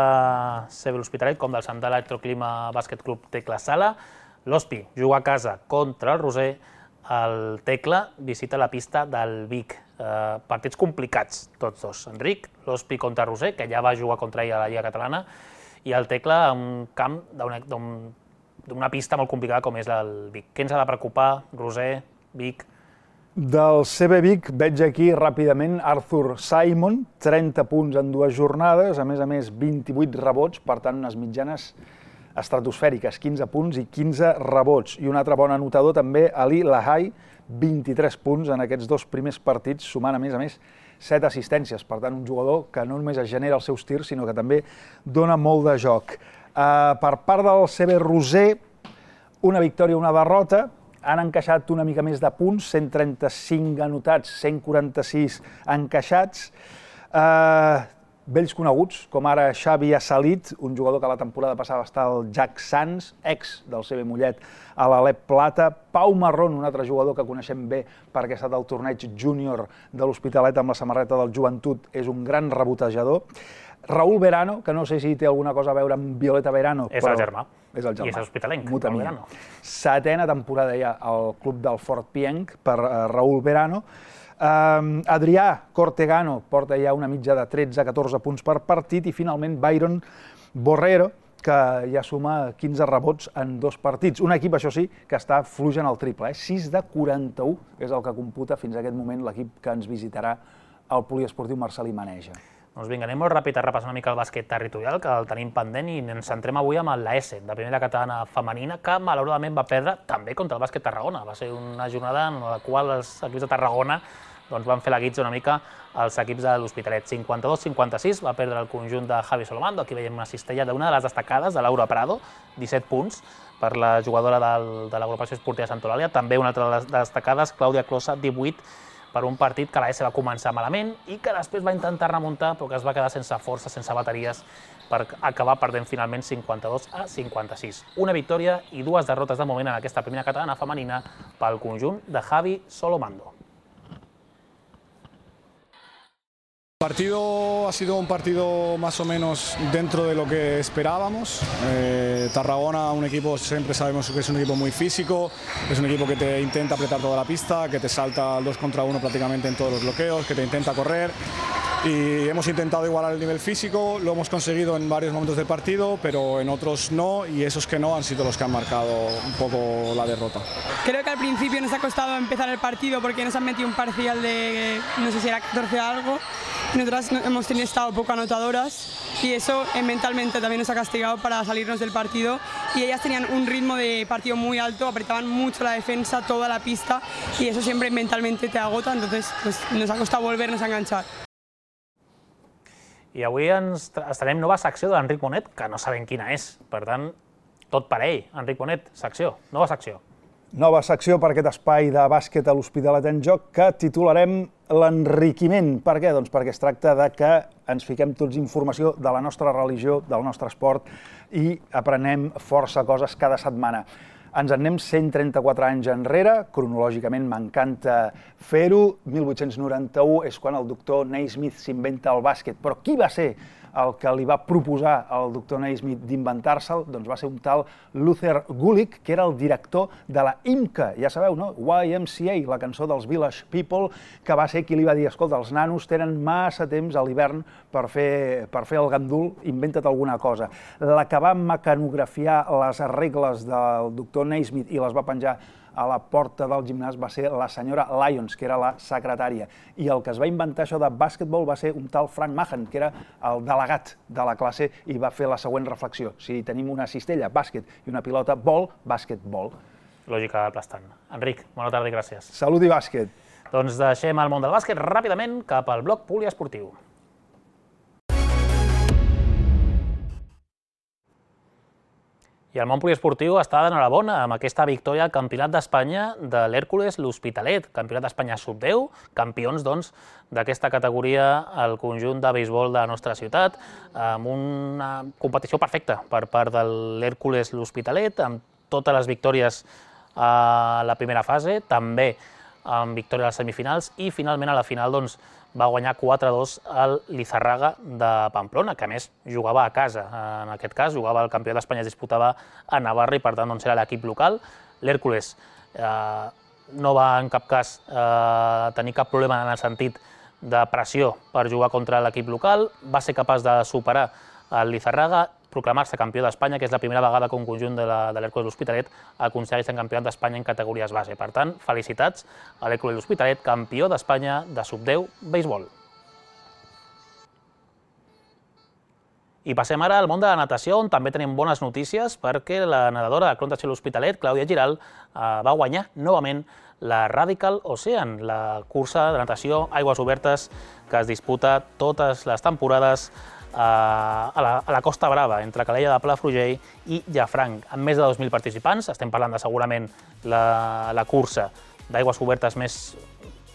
C B l'Hospitalet com del Sandà Electroclima Bàsquet Club Tecla Sala. L'Hospi juga a casa contra el Roser, el Tecla visita la pista del Vic. Eh, partits complicats, tots dos. Enric, l'Hospi contra Roser, que ja va jugar contra ell a la Lliga Catalana, i el Tecla en un camp d'una pista molt complicada com és el Vic. Què ens ha de preocupar, Roser, Vic? Del C B Vic veig aquí ràpidament Arthur Simon, trenta punts en dues jornades, a més a més vint-i-vuit rebots, per tant unes mitjanes estratosfèriques, quinze punts i quinze rebots. I un altre bon anotador també, Ali Lahai, vint-i-tres punts en aquests dos primers partits, sumant a més a més set assistències. Per tant, un jugador que no només es genera els seus tirs, sinó que també dona molt de joc. Uh, per part del C B Roser, una victòria i una derrota. Han encaixat una mica més de punts, cent trenta-cinc anotats, cent quaranta-sis encaixats. Uh, vells coneguts, com ara Xavi Assalit, un jugador que la temporada passada va estar al Jack Sands, ex del C B Mollet a l'Alep Plata. Pau Marrón, un altre jugador que coneixem bé perquè ha estat al torneig júnior de l'Hospitalet amb la samarreta del Joventut, és un gran rebotejador. Raúl Verano, que no sé si té alguna cosa a veure amb Violeta Verano, és però... el germà. És el germà. I és hospitalenc, Raúl Verano. Setena temporada ja al club del Fort Pienc per uh, Raúl Verano. Uh, Adrià Cortegano porta ja una mitja de tretze a catorze punts per partit i finalment Byron Borrero, que ja suma quinze rebots en dos partits. Un equip, això sí, que està fluix en el triple. Eh? sis de quaranta-u és el que computa fins a aquest moment l'equip que ens visitarà al poliesportiu Marcel·lí Maneja. Doncs vinga, anem molt ràpid a repassar una mica el bàsquet territorial, que el tenim pendent, i ens centrem avui amb l'A S, de primera catalana femenina, que malauradament va perdre també contra el bàsquet Tarragona. Va ser una jornada en la qual els equips de Tarragona doncs van fer la guitza una mica als equips de l'Hospitalet. cinquanta-dos cinquanta-sis va perdre el conjunt de Javi Solomando. Aquí veiem una cistella d'una de les destacades, de Laura Prado, disset punts per la jugadora del, de l'Agrupació Esportiva de Santa Eulàlia. També una altra de les destacades, Clàudia Closa, divuit, per un partit que l'A S va començar malament i que després va intentar remuntar, però que es va quedar sense força, sense bateries, per acabar perdent finalment cinquanta-dos a cinquanta-sis. Una victòria i dues derrotes de moment en aquesta primera catalana femenina pel conjunt de Javi Solomando. El partido ha sido un partido más o menos dentro de lo que esperábamos. Eh, Tarragona, un equipo, siempre sabemos que es un equipo muy físico, es un equipo que te intenta apretar toda la pista, que te salta al dos contra uno prácticamente en todos los bloqueos, que te intenta correr. Y hemos intentado igualar el nivel físico, lo hemos conseguido en varios momentos del partido, pero en otros no, y esos que no han sido los que han marcado un poco la derrota. Creo que al principio nos ha costado empezar el partido porque nos han metido un parcial de, no sé si era catorce algo, nosotras hemos tenido estado poco anotadoras y eso eh, mentalmente también nos ha castigado para salirnos del partido, y ellas tenían un ritmo de partido muy alto, apretaban mucho la defensa, toda la pista, y eso siempre mentalmente te agota, entonces pues, nos ha costado volvernos a enganchar. I avui ens estarem nova secció d'Enric Bonet, que no sabem quina és. Per tant, tot per ell. Enric Bonet, secció, nova secció. Nova secció per aquest espai de bàsquet a l'Hospitalet en Joc que titularem l'enriquiment. Per què? Doncs perquè es tracta de que ens fiquem tots informació de la nostra religió, del nostre esport, i aprenem força coses cada setmana. Ens en anem cent trenta-quatre anys enrere, cronològicament m'encanta fer-ho. mil vuit-cents noranta-u és quan el doctor Naismith s'inventa el bàsquet. Però qui va ser el que li va proposar al doctor Naismith d'inventar-se'l doncs va ser un tal Luther Gulick, que era el director de la I M C A, ja sabeu, no? Y M C A, la cançó dels Village People, que va ser qui li va dir, escolta, els nanos tenen massa temps a l'hivern per fer, per fer el gandul, inventa't alguna cosa. La que va mecanografiar les regles del doctor Naismith i les va penjar a la porta del gimnàs va ser la senyora Lyons, que era la secretària. I el que es va inventar això de bàsquetbol va ser un tal Frank Mahan, que era el delegat de la classe, i va fer la següent reflexió. Si tenim una cistella, bàsquet, i una pilota, bol, bàsquetbol. Lògica aplastant. Enric, bona tarda i gràcies. Salut i bàsquet. Doncs deixem el món del bàsquet ràpidament cap al bloc poliesportiu. I el món poliesportiu està d'enhorabona amb aquesta victòria al Campionat d'Espanya de l'Hèrcules l'Hospitalet. Campionat d'Espanya sub deu, campions doncs d'aquesta categoria al conjunt de beisbol de la nostra ciutat, amb una competició perfecta per part de l'Hèrcules l'Hospitalet, amb totes les victòries a la primera fase, també amb victòria a les semifinals, i finalment a la final doncs, va guanyar quatre a dos al Lizarraga de Pamplona, que a més jugava a casa. En aquest cas, jugava el Campionat d'Espanya, es disputava a Navarra i per tant doncs, era l'equip local. L'Hèrcules eh, no va en cap cas eh, tenir cap problema en el sentit de pressió per jugar contra l'equip local, va ser capaç de superar el Lizarraga, proclamar-se campió d'Espanya, que és la primera vegada que un conjunt de l'Hèrcules l'Hospitalet aconsegueix ser campionat d'Espanya en categories base. Per tant, felicitats a l'Hèrcules l'Hospitalet, campió d'Espanya de sub deu béisbol. I passem ara al món de la natació, on també tenim bones notícies, perquè la nedadora de Club Natació l'Hospitalet, Clàudia Giral, va guanyar novament la Radical Ocean, la cursa de natació aigües obertes que es disputa totes les temporades a la, a la Costa Brava, entre Calella de Palafrugell i Llafranc, amb més de dos mil participants. Estem parlant de segurament la, la cursa d'aigües obertes més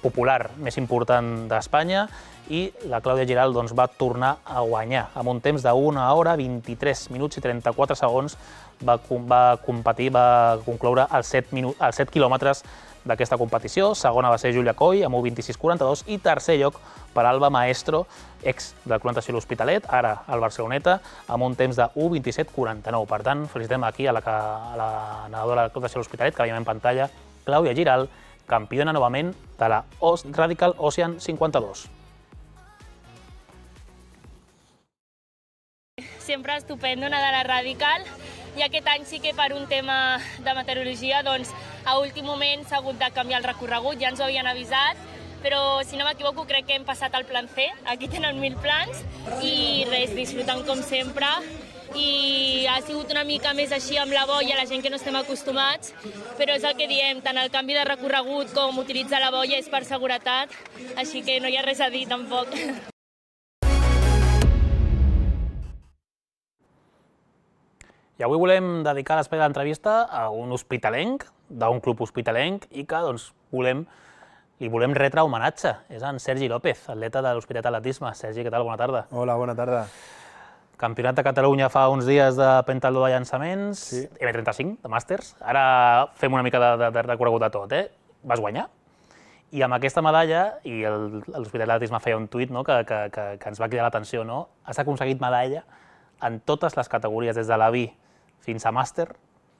popular, més important d'Espanya, i la Clàudia Giral doncs, va tornar a guanyar. Amb un temps d'una hora, vint-i-tres minuts i trenta-quatre segons, va, va competir, va concloure els set, minut, els set quilòmetres d'aquesta competició. Segona va ser Júlia Coll, amb un vint-i-sis quaranta-dos, i tercer lloc per Alba Maestro, ex del Club Natació l'Hospitalet, ara al Barceloneta, amb un temps de u vint-i-set quaranta-nou. Per tant, felicitem aquí a la, a la nedadora del Club Natació l'Hospitalet, que veiem en pantalla, Clàudia Giral, campiona novament de la Radical Ocean cinquanta-dos. Sempre estupendo nedar a la Radical, i aquest any sí que per un tema de meteorologia doncs, a últim moment s'ha hagut de canviar el recorregut, ja ens ho havien avisat, però si no m'equivoco crec que hem passat al plan C, aquí tenen mil plans, i res, disfrutant com sempre, i ha sigut una mica més així amb la boia, la gent que no estem acostumats, però és el que diem, tant el canvi de recorregut com utilitzar la boia és per seguretat, així que no hi ha res a dir tampoc. I avui volem dedicar l'espai de l'entrevista a un hospitalenc, d'un club hospitalenc, i que doncs, volem, li volem retre homenatge. És en Sergi López, atleta de l'Hospitalet d'Atletisme. Sergi, què tal? Bona tarda. Hola, bona tarda. Campionat de Catalunya fa uns dies de pentatló de llançaments, sí. eme trenta-cinc, de màsters. Ara fem una mica de, de, de recorregut de tot, eh? Vas guanyar. I amb aquesta medalla, i l'Hospitalet d'Atletisme feia un tuit no? que, que, que, que ens va cridar l'atenció, no? Has aconseguit medalla en totes les categories, des de la B fins a màster,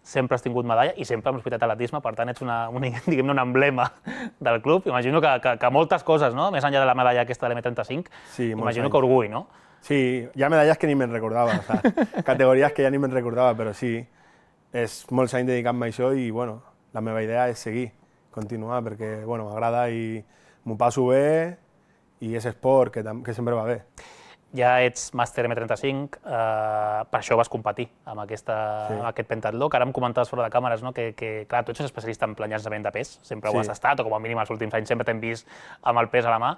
sempre has tingut medalla i sempre amb l'Hospitalet d'Atletisme, per tant ets una, una, diguem-ne, un emblema del club. Imagino que, que, que moltes coses, no? Més enllà de la medalla aquesta de l'eme trenta-cinc, sí, imagino que orgull, no? Sí, hi ha medalles que ni me'n recordava, o sea, categories que ja ni me'n recordava, però sí, és molts anys dedicant-me a això i bueno, la meva idea és seguir, continuar, perquè bueno, m'agrada i m'ho passo bé i és esport que, que sempre va bé. Ja ets màster eme trenta-cinc, eh, per això vas competir amb, aquesta, sí. amb aquest pentatló, que ara em comentaves fora de càmeres, no? que, que clar, tu ets especialista en plan llançament de pes, sempre sí. ho has estat, o com a mínim els últims anys sempre t'hem vist amb el pes a la mà,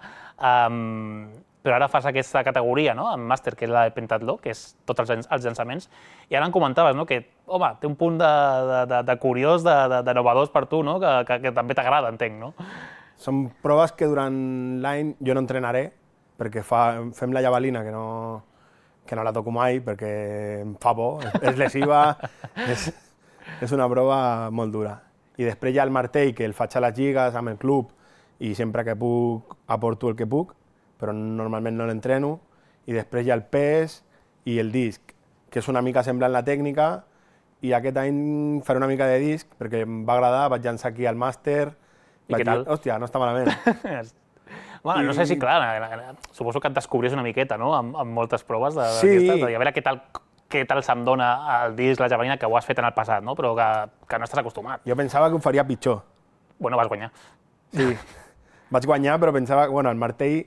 um, però ara fas aquesta categoria, no? En màster, que és la de pentatló, que és tots els, els llançaments, i ara em comentaves no? que, home, té un punt de, de, de, de curiós, de, de, de novedós per tu, no? que, que, que també t'agrada, entenc, no? Són proves que durant l'any jo no entrenaré, perquè fa, fem la javelina, que no, que no la toco mai, perquè em fa por, és lesiva, és, és una prova molt dura. I després hi ha el martell, que el faig a les lligues, amb el club, i sempre que puc aporto el que puc, però normalment no l'entreno. i després hi ha el pes i el disc, que és una mica semblant la tècnica, i aquest any faré una mica de disc, perquè em va agradar, vaig llançar aquí al màster, I què tal? Hòstia, no està malament. Bueno, no sé si, clar, suposo que et descobries una miqueta, no?, amb, amb moltes proves d'aquestes, Sí. de dir, a veure què tal, què tal se'm dona el disc, la javelina, que ho has fet en el passat, no?, però que, que no estàs acostumat. Jo pensava que ho faria pitjor. Bueno, vas guanyar. Sí, vaig guanyar, però pensava que, bueno, el martell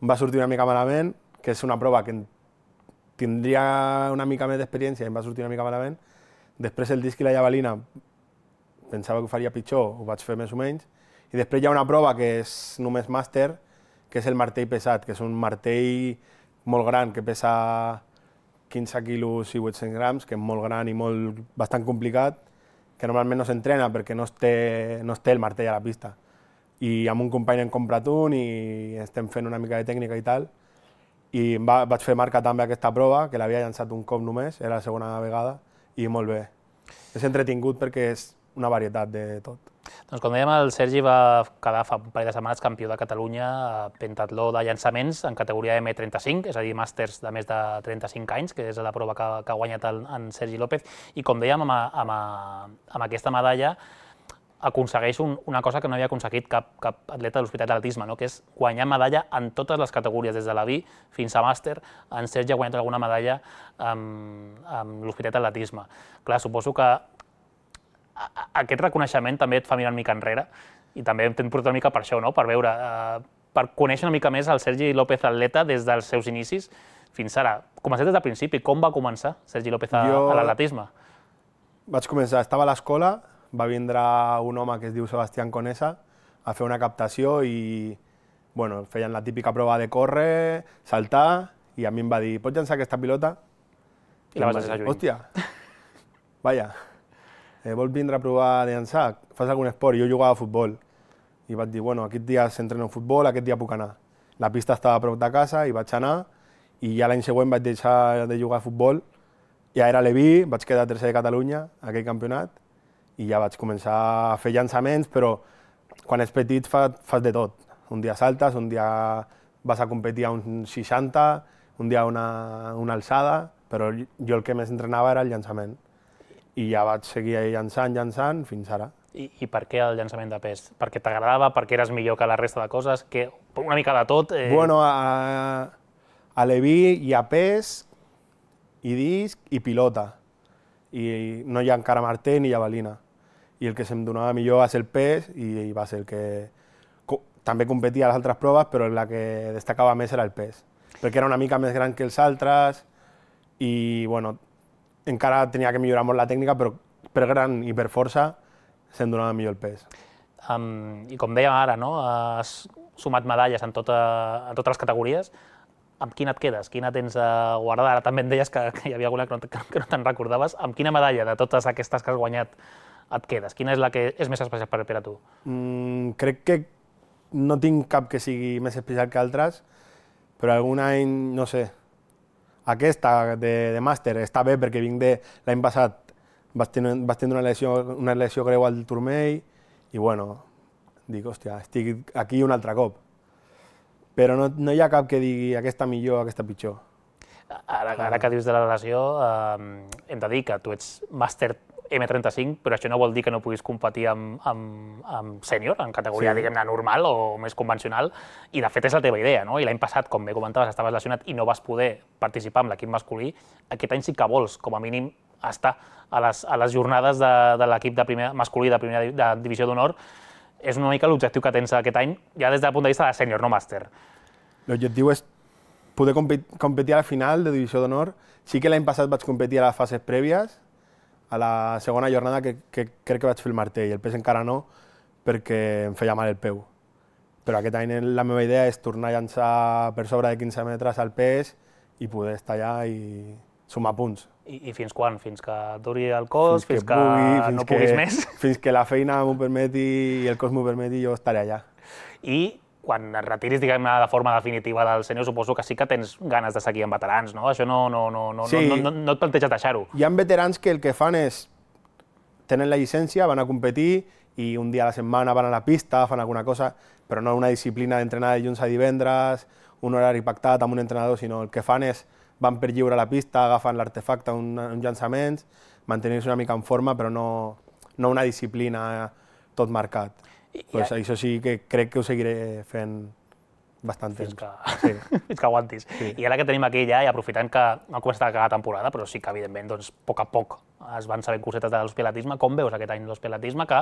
em va sortir una mica malament, que és una prova que tindria una mica més d'experiència i em va sortir una mica malament. Després el disc i la javelina pensava que ho faria pitjor, ho vaig fer més o menys. I després hi ha una prova que és només màster, que és el martell pesat, que és un martell molt gran, que pesa quinze quilos i vuit-cents grams, que és molt gran i molt, bastant complicat, que normalment no s'entrena perquè no es, té, no es té el martell a la pista. I amb un company hem comprat un i estem fent una mica de tècnica i tal. I va, vaig fer marca també aquesta prova, que l'havia llançat un cop només, era la segona vegada, i molt bé. És entretingut perquè és una varietat de tot. Doncs com dèiem, el Sergi va quedar fa un parell de setmanes campió de Catalunya a pentatló de llançaments en categoria eme trenta-cinc, és a dir, màsters de més de trenta-cinc anys, que és la prova que, que ha guanyat el, en Sergi López. I com dèiem, amb, amb, amb aquesta medalla aconsegueix un, una cosa que no havia aconseguit cap, cap atleta de l'Hospitalet d'Atletisme, no? Que és guanyar medalla en totes les categories, des de la B fins a màster. En Sergi ha guanyat alguna medalla amb, amb l'Hospitalet d'Atletisme. Clar, suposo que aquest reconeixement també et fa mirar una mica enrere i també t'hem portat una mica per això, no? Per veure, eh, per conèixer una mica més el Sergi López atleta des dels seus inicis fins ara. Comencem des del principi. Com va començar Sergi López a, Jo... a l'atletisme? Vaig començar, estava a l'escola, va vindre un home que es diu Sebastián Conesa a fer una captació i bueno, feien la típica prova de córrer, saltar, i a mi em va dir, pots llançar aquesta pilota? I la vas deixar lluny. Hòstia, vaja, eh, vols vindre a provar de llançar? Fas algun esport? Jo jugava a futbol. I vaig dir, bueno, aquest dia s'entrena futbol, aquest dia puc anar. La pista estava a prop de casa i vaig anar, i ja l'any següent vaig deixar de jugar a futbol. Ja era a Leví, vaig quedar tercer de Catalunya, aquell campionat, i ja vaig començar a fer llançaments, però quan ets petit fa, fas de tot. Un dia saltes, un dia vas a competir a un seixanta, un dia una, una alçada, però jo el que més entrenava era el llançament. I ja vaig seguir llançant, llançant, fins ara. I, I per què el llançament de pes? Perquè t'agradava, perquè eres millor que la resta de coses, que una mica de tot... Eh... Bueno, a, a Leví hi ha pes, i disc i pilota. I no hi ha encara martell ni javelina. I el que se'm donava millor va ser el pes i va ser el que... Co també competia a les altres proves, però la que destacava més era el pes. Perquè era una mica més gran que els altres i, bueno, encara tenia que millorar molt la tècnica, però per gran i per força se'm donava millor el pes. Um, I com dèiem ara, no? Has sumat medalles en, tota, en totes les categories. Amb quina et quedes? Quina tens guardada? Ara també em deies que, que hi havia alguna que no, que no te'n recordaves. Amb quina medalla de totes aquestes que has guanyat et quedes? Quina és la que és més especial per, per a tu? Mm, crec que no tinc cap que sigui més especial que altres, però algun any, no sé, aquesta de, de màster està bé perquè vinc de l'any passat, vaig tenir, vaig tenir una, lesió, una lesió greu al turmell i bueno, dic, hòstia, estic aquí un altre cop. Però no, no hi ha cap que digui aquesta millor, aquesta pitjor. Ara, ara que dius de la lesió, eh, hem de dir que tu ets màster eme trenta-cinc, però això no vol dir que no puguis competir amb, amb, amb sènior, en categoria, sí, diguem-ne, normal o més convencional, i de fet és la teva idea, no? I l'any passat, com bé comentaves, estaves lesionat i no vas poder participar amb l'equip masculí. Aquest any sí que vols, com a mínim, estar a les, a les jornades de, de l'equip de primer, masculí de primera de divisió d'honor. És una mica l'objectiu que tens aquest any, ja des del punt de vista de sènior, no màster. L'objectiu és poder competir a la final de divisió d'honor. Sí que l'any passat vaig competir a les fases prèvies, a la segona jornada que, que crec que vaig fer el martell, el pes encara no, perquè em feia mal el peu. Però aquest any la meva idea és tornar a llançar per sobre de quinze metres al pes i poder estar allà i sumar punts. I, i fins quan? Fins que duri el cos? Fins, fins que, que pugui, fins no que, puguis més? Fins que la feina m'ho permeti i el cos m'ho permeti, jo estaré allà. I quan et retiris, diguem-ne, de forma definitiva del sènior, suposo que sí que tens ganes de seguir amb veterans, no? Això no, no, no, no, sí. no, no, no et planteges deixar-ho. Hi ha veterans que el que fan és, tenen la llicència, van a competir i un dia a la setmana van a la pista, fan alguna cosa, però no una disciplina d'entrenar de dilluns a divendres, un horari pactat amb un entrenador, sinó el que fan és van per lliure a la pista, agafen l'artefacte, un, uns llançaments, mantenir-se una mica en forma, però no, no una disciplina tot marcat. I, pues i, això sí que crec que ho seguiré fent bastant temps. Fins que, sí. Fins que aguantis. Sí. I ara que tenim aquí ja, i aprofitant que no ha començat a acabar la temporada, però sí que evidentment doncs, a poc a poc es van sabent cosetes de l'hospilatisme, com veus aquest any l'hospilatisme, que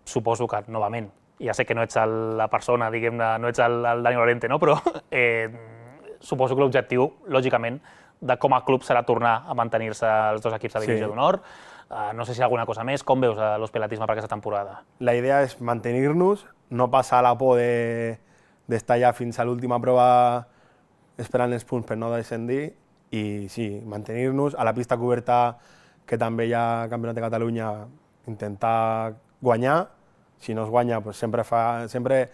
suposo que, novament, ja sé que no ets el, la persona, diguem-ne, no ets el, el Dani Lorente, no? Però eh, suposo que l'objectiu, lògicament, de com a club serà tornar a mantenir-se els dos equips de divisió sí. d'honor. Uh, no sé si hi ha alguna cosa més. Com veus l'hospilatisme per aquesta temporada? La idea és mantenir-nos, no passar la por de, d'estar ja fins a l'última prova esperant els punts per no descendir i sí, mantenir-nos. A la pista coberta, que també hi ha Campionat de Catalunya, intentar guanyar. Si no es guanya, pues sempre, fa, sempre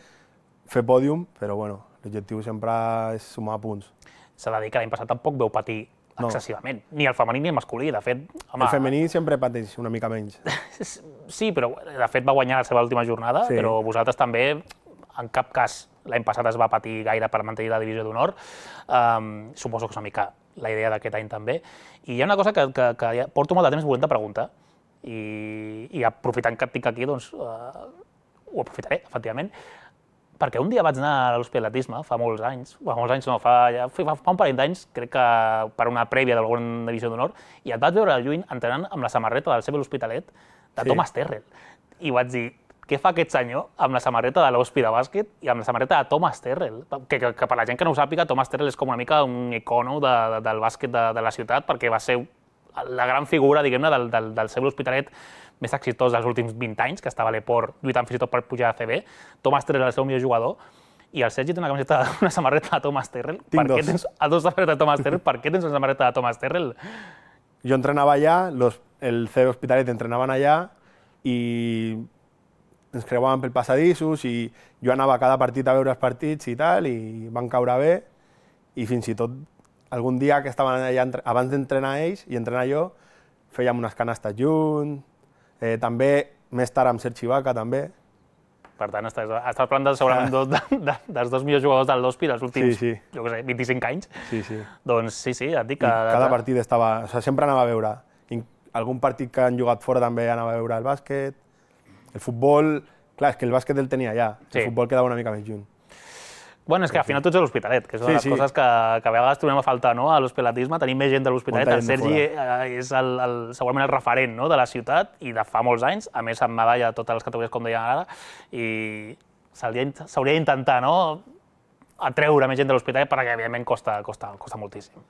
fer pòdium, però bueno, l'objectiu sempre és sumar punts. S'ha de dir que l'any passat tampoc veu patir no. excessivament, ni el femení ni el masculí, de fet... Home, el femení sempre pateix una mica menys. Sí, però de fet va guanyar la seva última jornada, sí. però vosaltres també, en cap cas, l'any passat es va patir gaire per mantenir la divisió d'honor. Um, suposo que és una mica la idea d'aquest any també. I hi ha una cosa que, que, que ja porto molt de temps volent de preguntar, i, i aprofitant que et tinc aquí, doncs uh, ho aprofitaré, efectivament, perquè un dia vaig anar a l'hospilatisme, fa molts anys, fa molts anys no, fa, ja, fa, fa un parell d'anys, crec que per una prèvia d'alguna divisió d'honor, i et vaig veure al lluny entrenant amb la samarreta del Sebel Hospitalet de sí. Thomas Terrell. I vaig dir, què fa aquest senyor amb la samarreta de l'Hospi de bàsquet i amb la samarreta de Thomas Terrell? Que, que, que per la gent que no ho sàpiga, Thomas Terrell és com una mica un icono de, de, del bàsquet de, de la ciutat, perquè va ser la gran figura, diguem-ne, del, del, del Sebel Hospitalet més exitós dels últims vint anys, que estava a l'Eport lluitant fins i tot per pujar a C B. Thomas Terrell és el seu millor jugador, i el Sergi té una camiseta, una samarreta de Thomas Terrell. Tinc per dos. Què tens a dos samarretes de Thomas Terrell? Per què tens una samarreta de Thomas Terrell? Jo entrenava allà, los, el C B Hospitalet entrenaven allà, i ens creuàvem pel passadissos, i jo anava a cada partit a veure els partits i tal, i van caure bé, i fins i tot algun dia que estaven allà, abans d'entrenar ells i entrenar jo, fèiem unes canastes junts, eh, també més tard amb Sergi Vaca, també. Per tant, estàs, estàs parlant de, segurament dos, de, de, dels dos millors jugadors del Hospi dels últims, sí, sí. jo què sé, vint-i-cinc anys. Sí, sí. Doncs sí, sí, et dic que... I cada partit estava... O sigui, sempre anava a veure. Algun partit que han jugat fora també anava a veure el bàsquet. El futbol... Clar, és que el bàsquet el tenia allà. El sí. futbol quedava una mica més junt. Bueno, és que al final tots a l'Hospitalet, que és una de les sí, sí. coses que, que a vegades trobem a faltar, no? A l'hospitalatisme, tenim més gent de l'Hospitalet. El Sergi és el, el, segurament el referent, no? De la ciutat i de fa molts anys, a més amb medalla a totes les categories com deien ara, i s'hauria d'intentar, no? Atreure més gent de l'Hospitalet perquè evidentment costa, costa, costa moltíssim.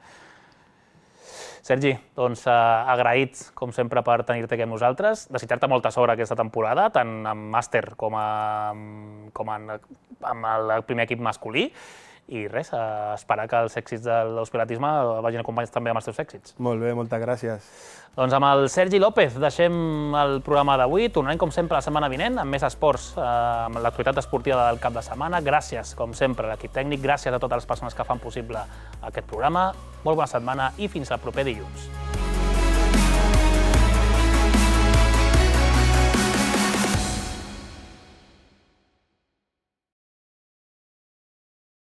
Sergi, doncs eh, agraïts, com sempre, per tenir-te aquí amb nosaltres, desitjar-te molta sort aquesta temporada, tant amb màster com, a, com en, amb el primer equip masculí, i res, eh, esperar que els èxits de l'hospitalatisme vagin acompanyats també amb els teus èxits. Molt bé, moltes gràcies. Doncs amb el Sergi López deixem el programa d'avui, tornarem com sempre la setmana vinent amb més esports, eh, amb l'actualitat esportiva del cap de setmana. Gràcies, com sempre, a l'equip tècnic, gràcies a totes les persones que fan possible aquest programa. Molt bona setmana i fins al proper dilluns.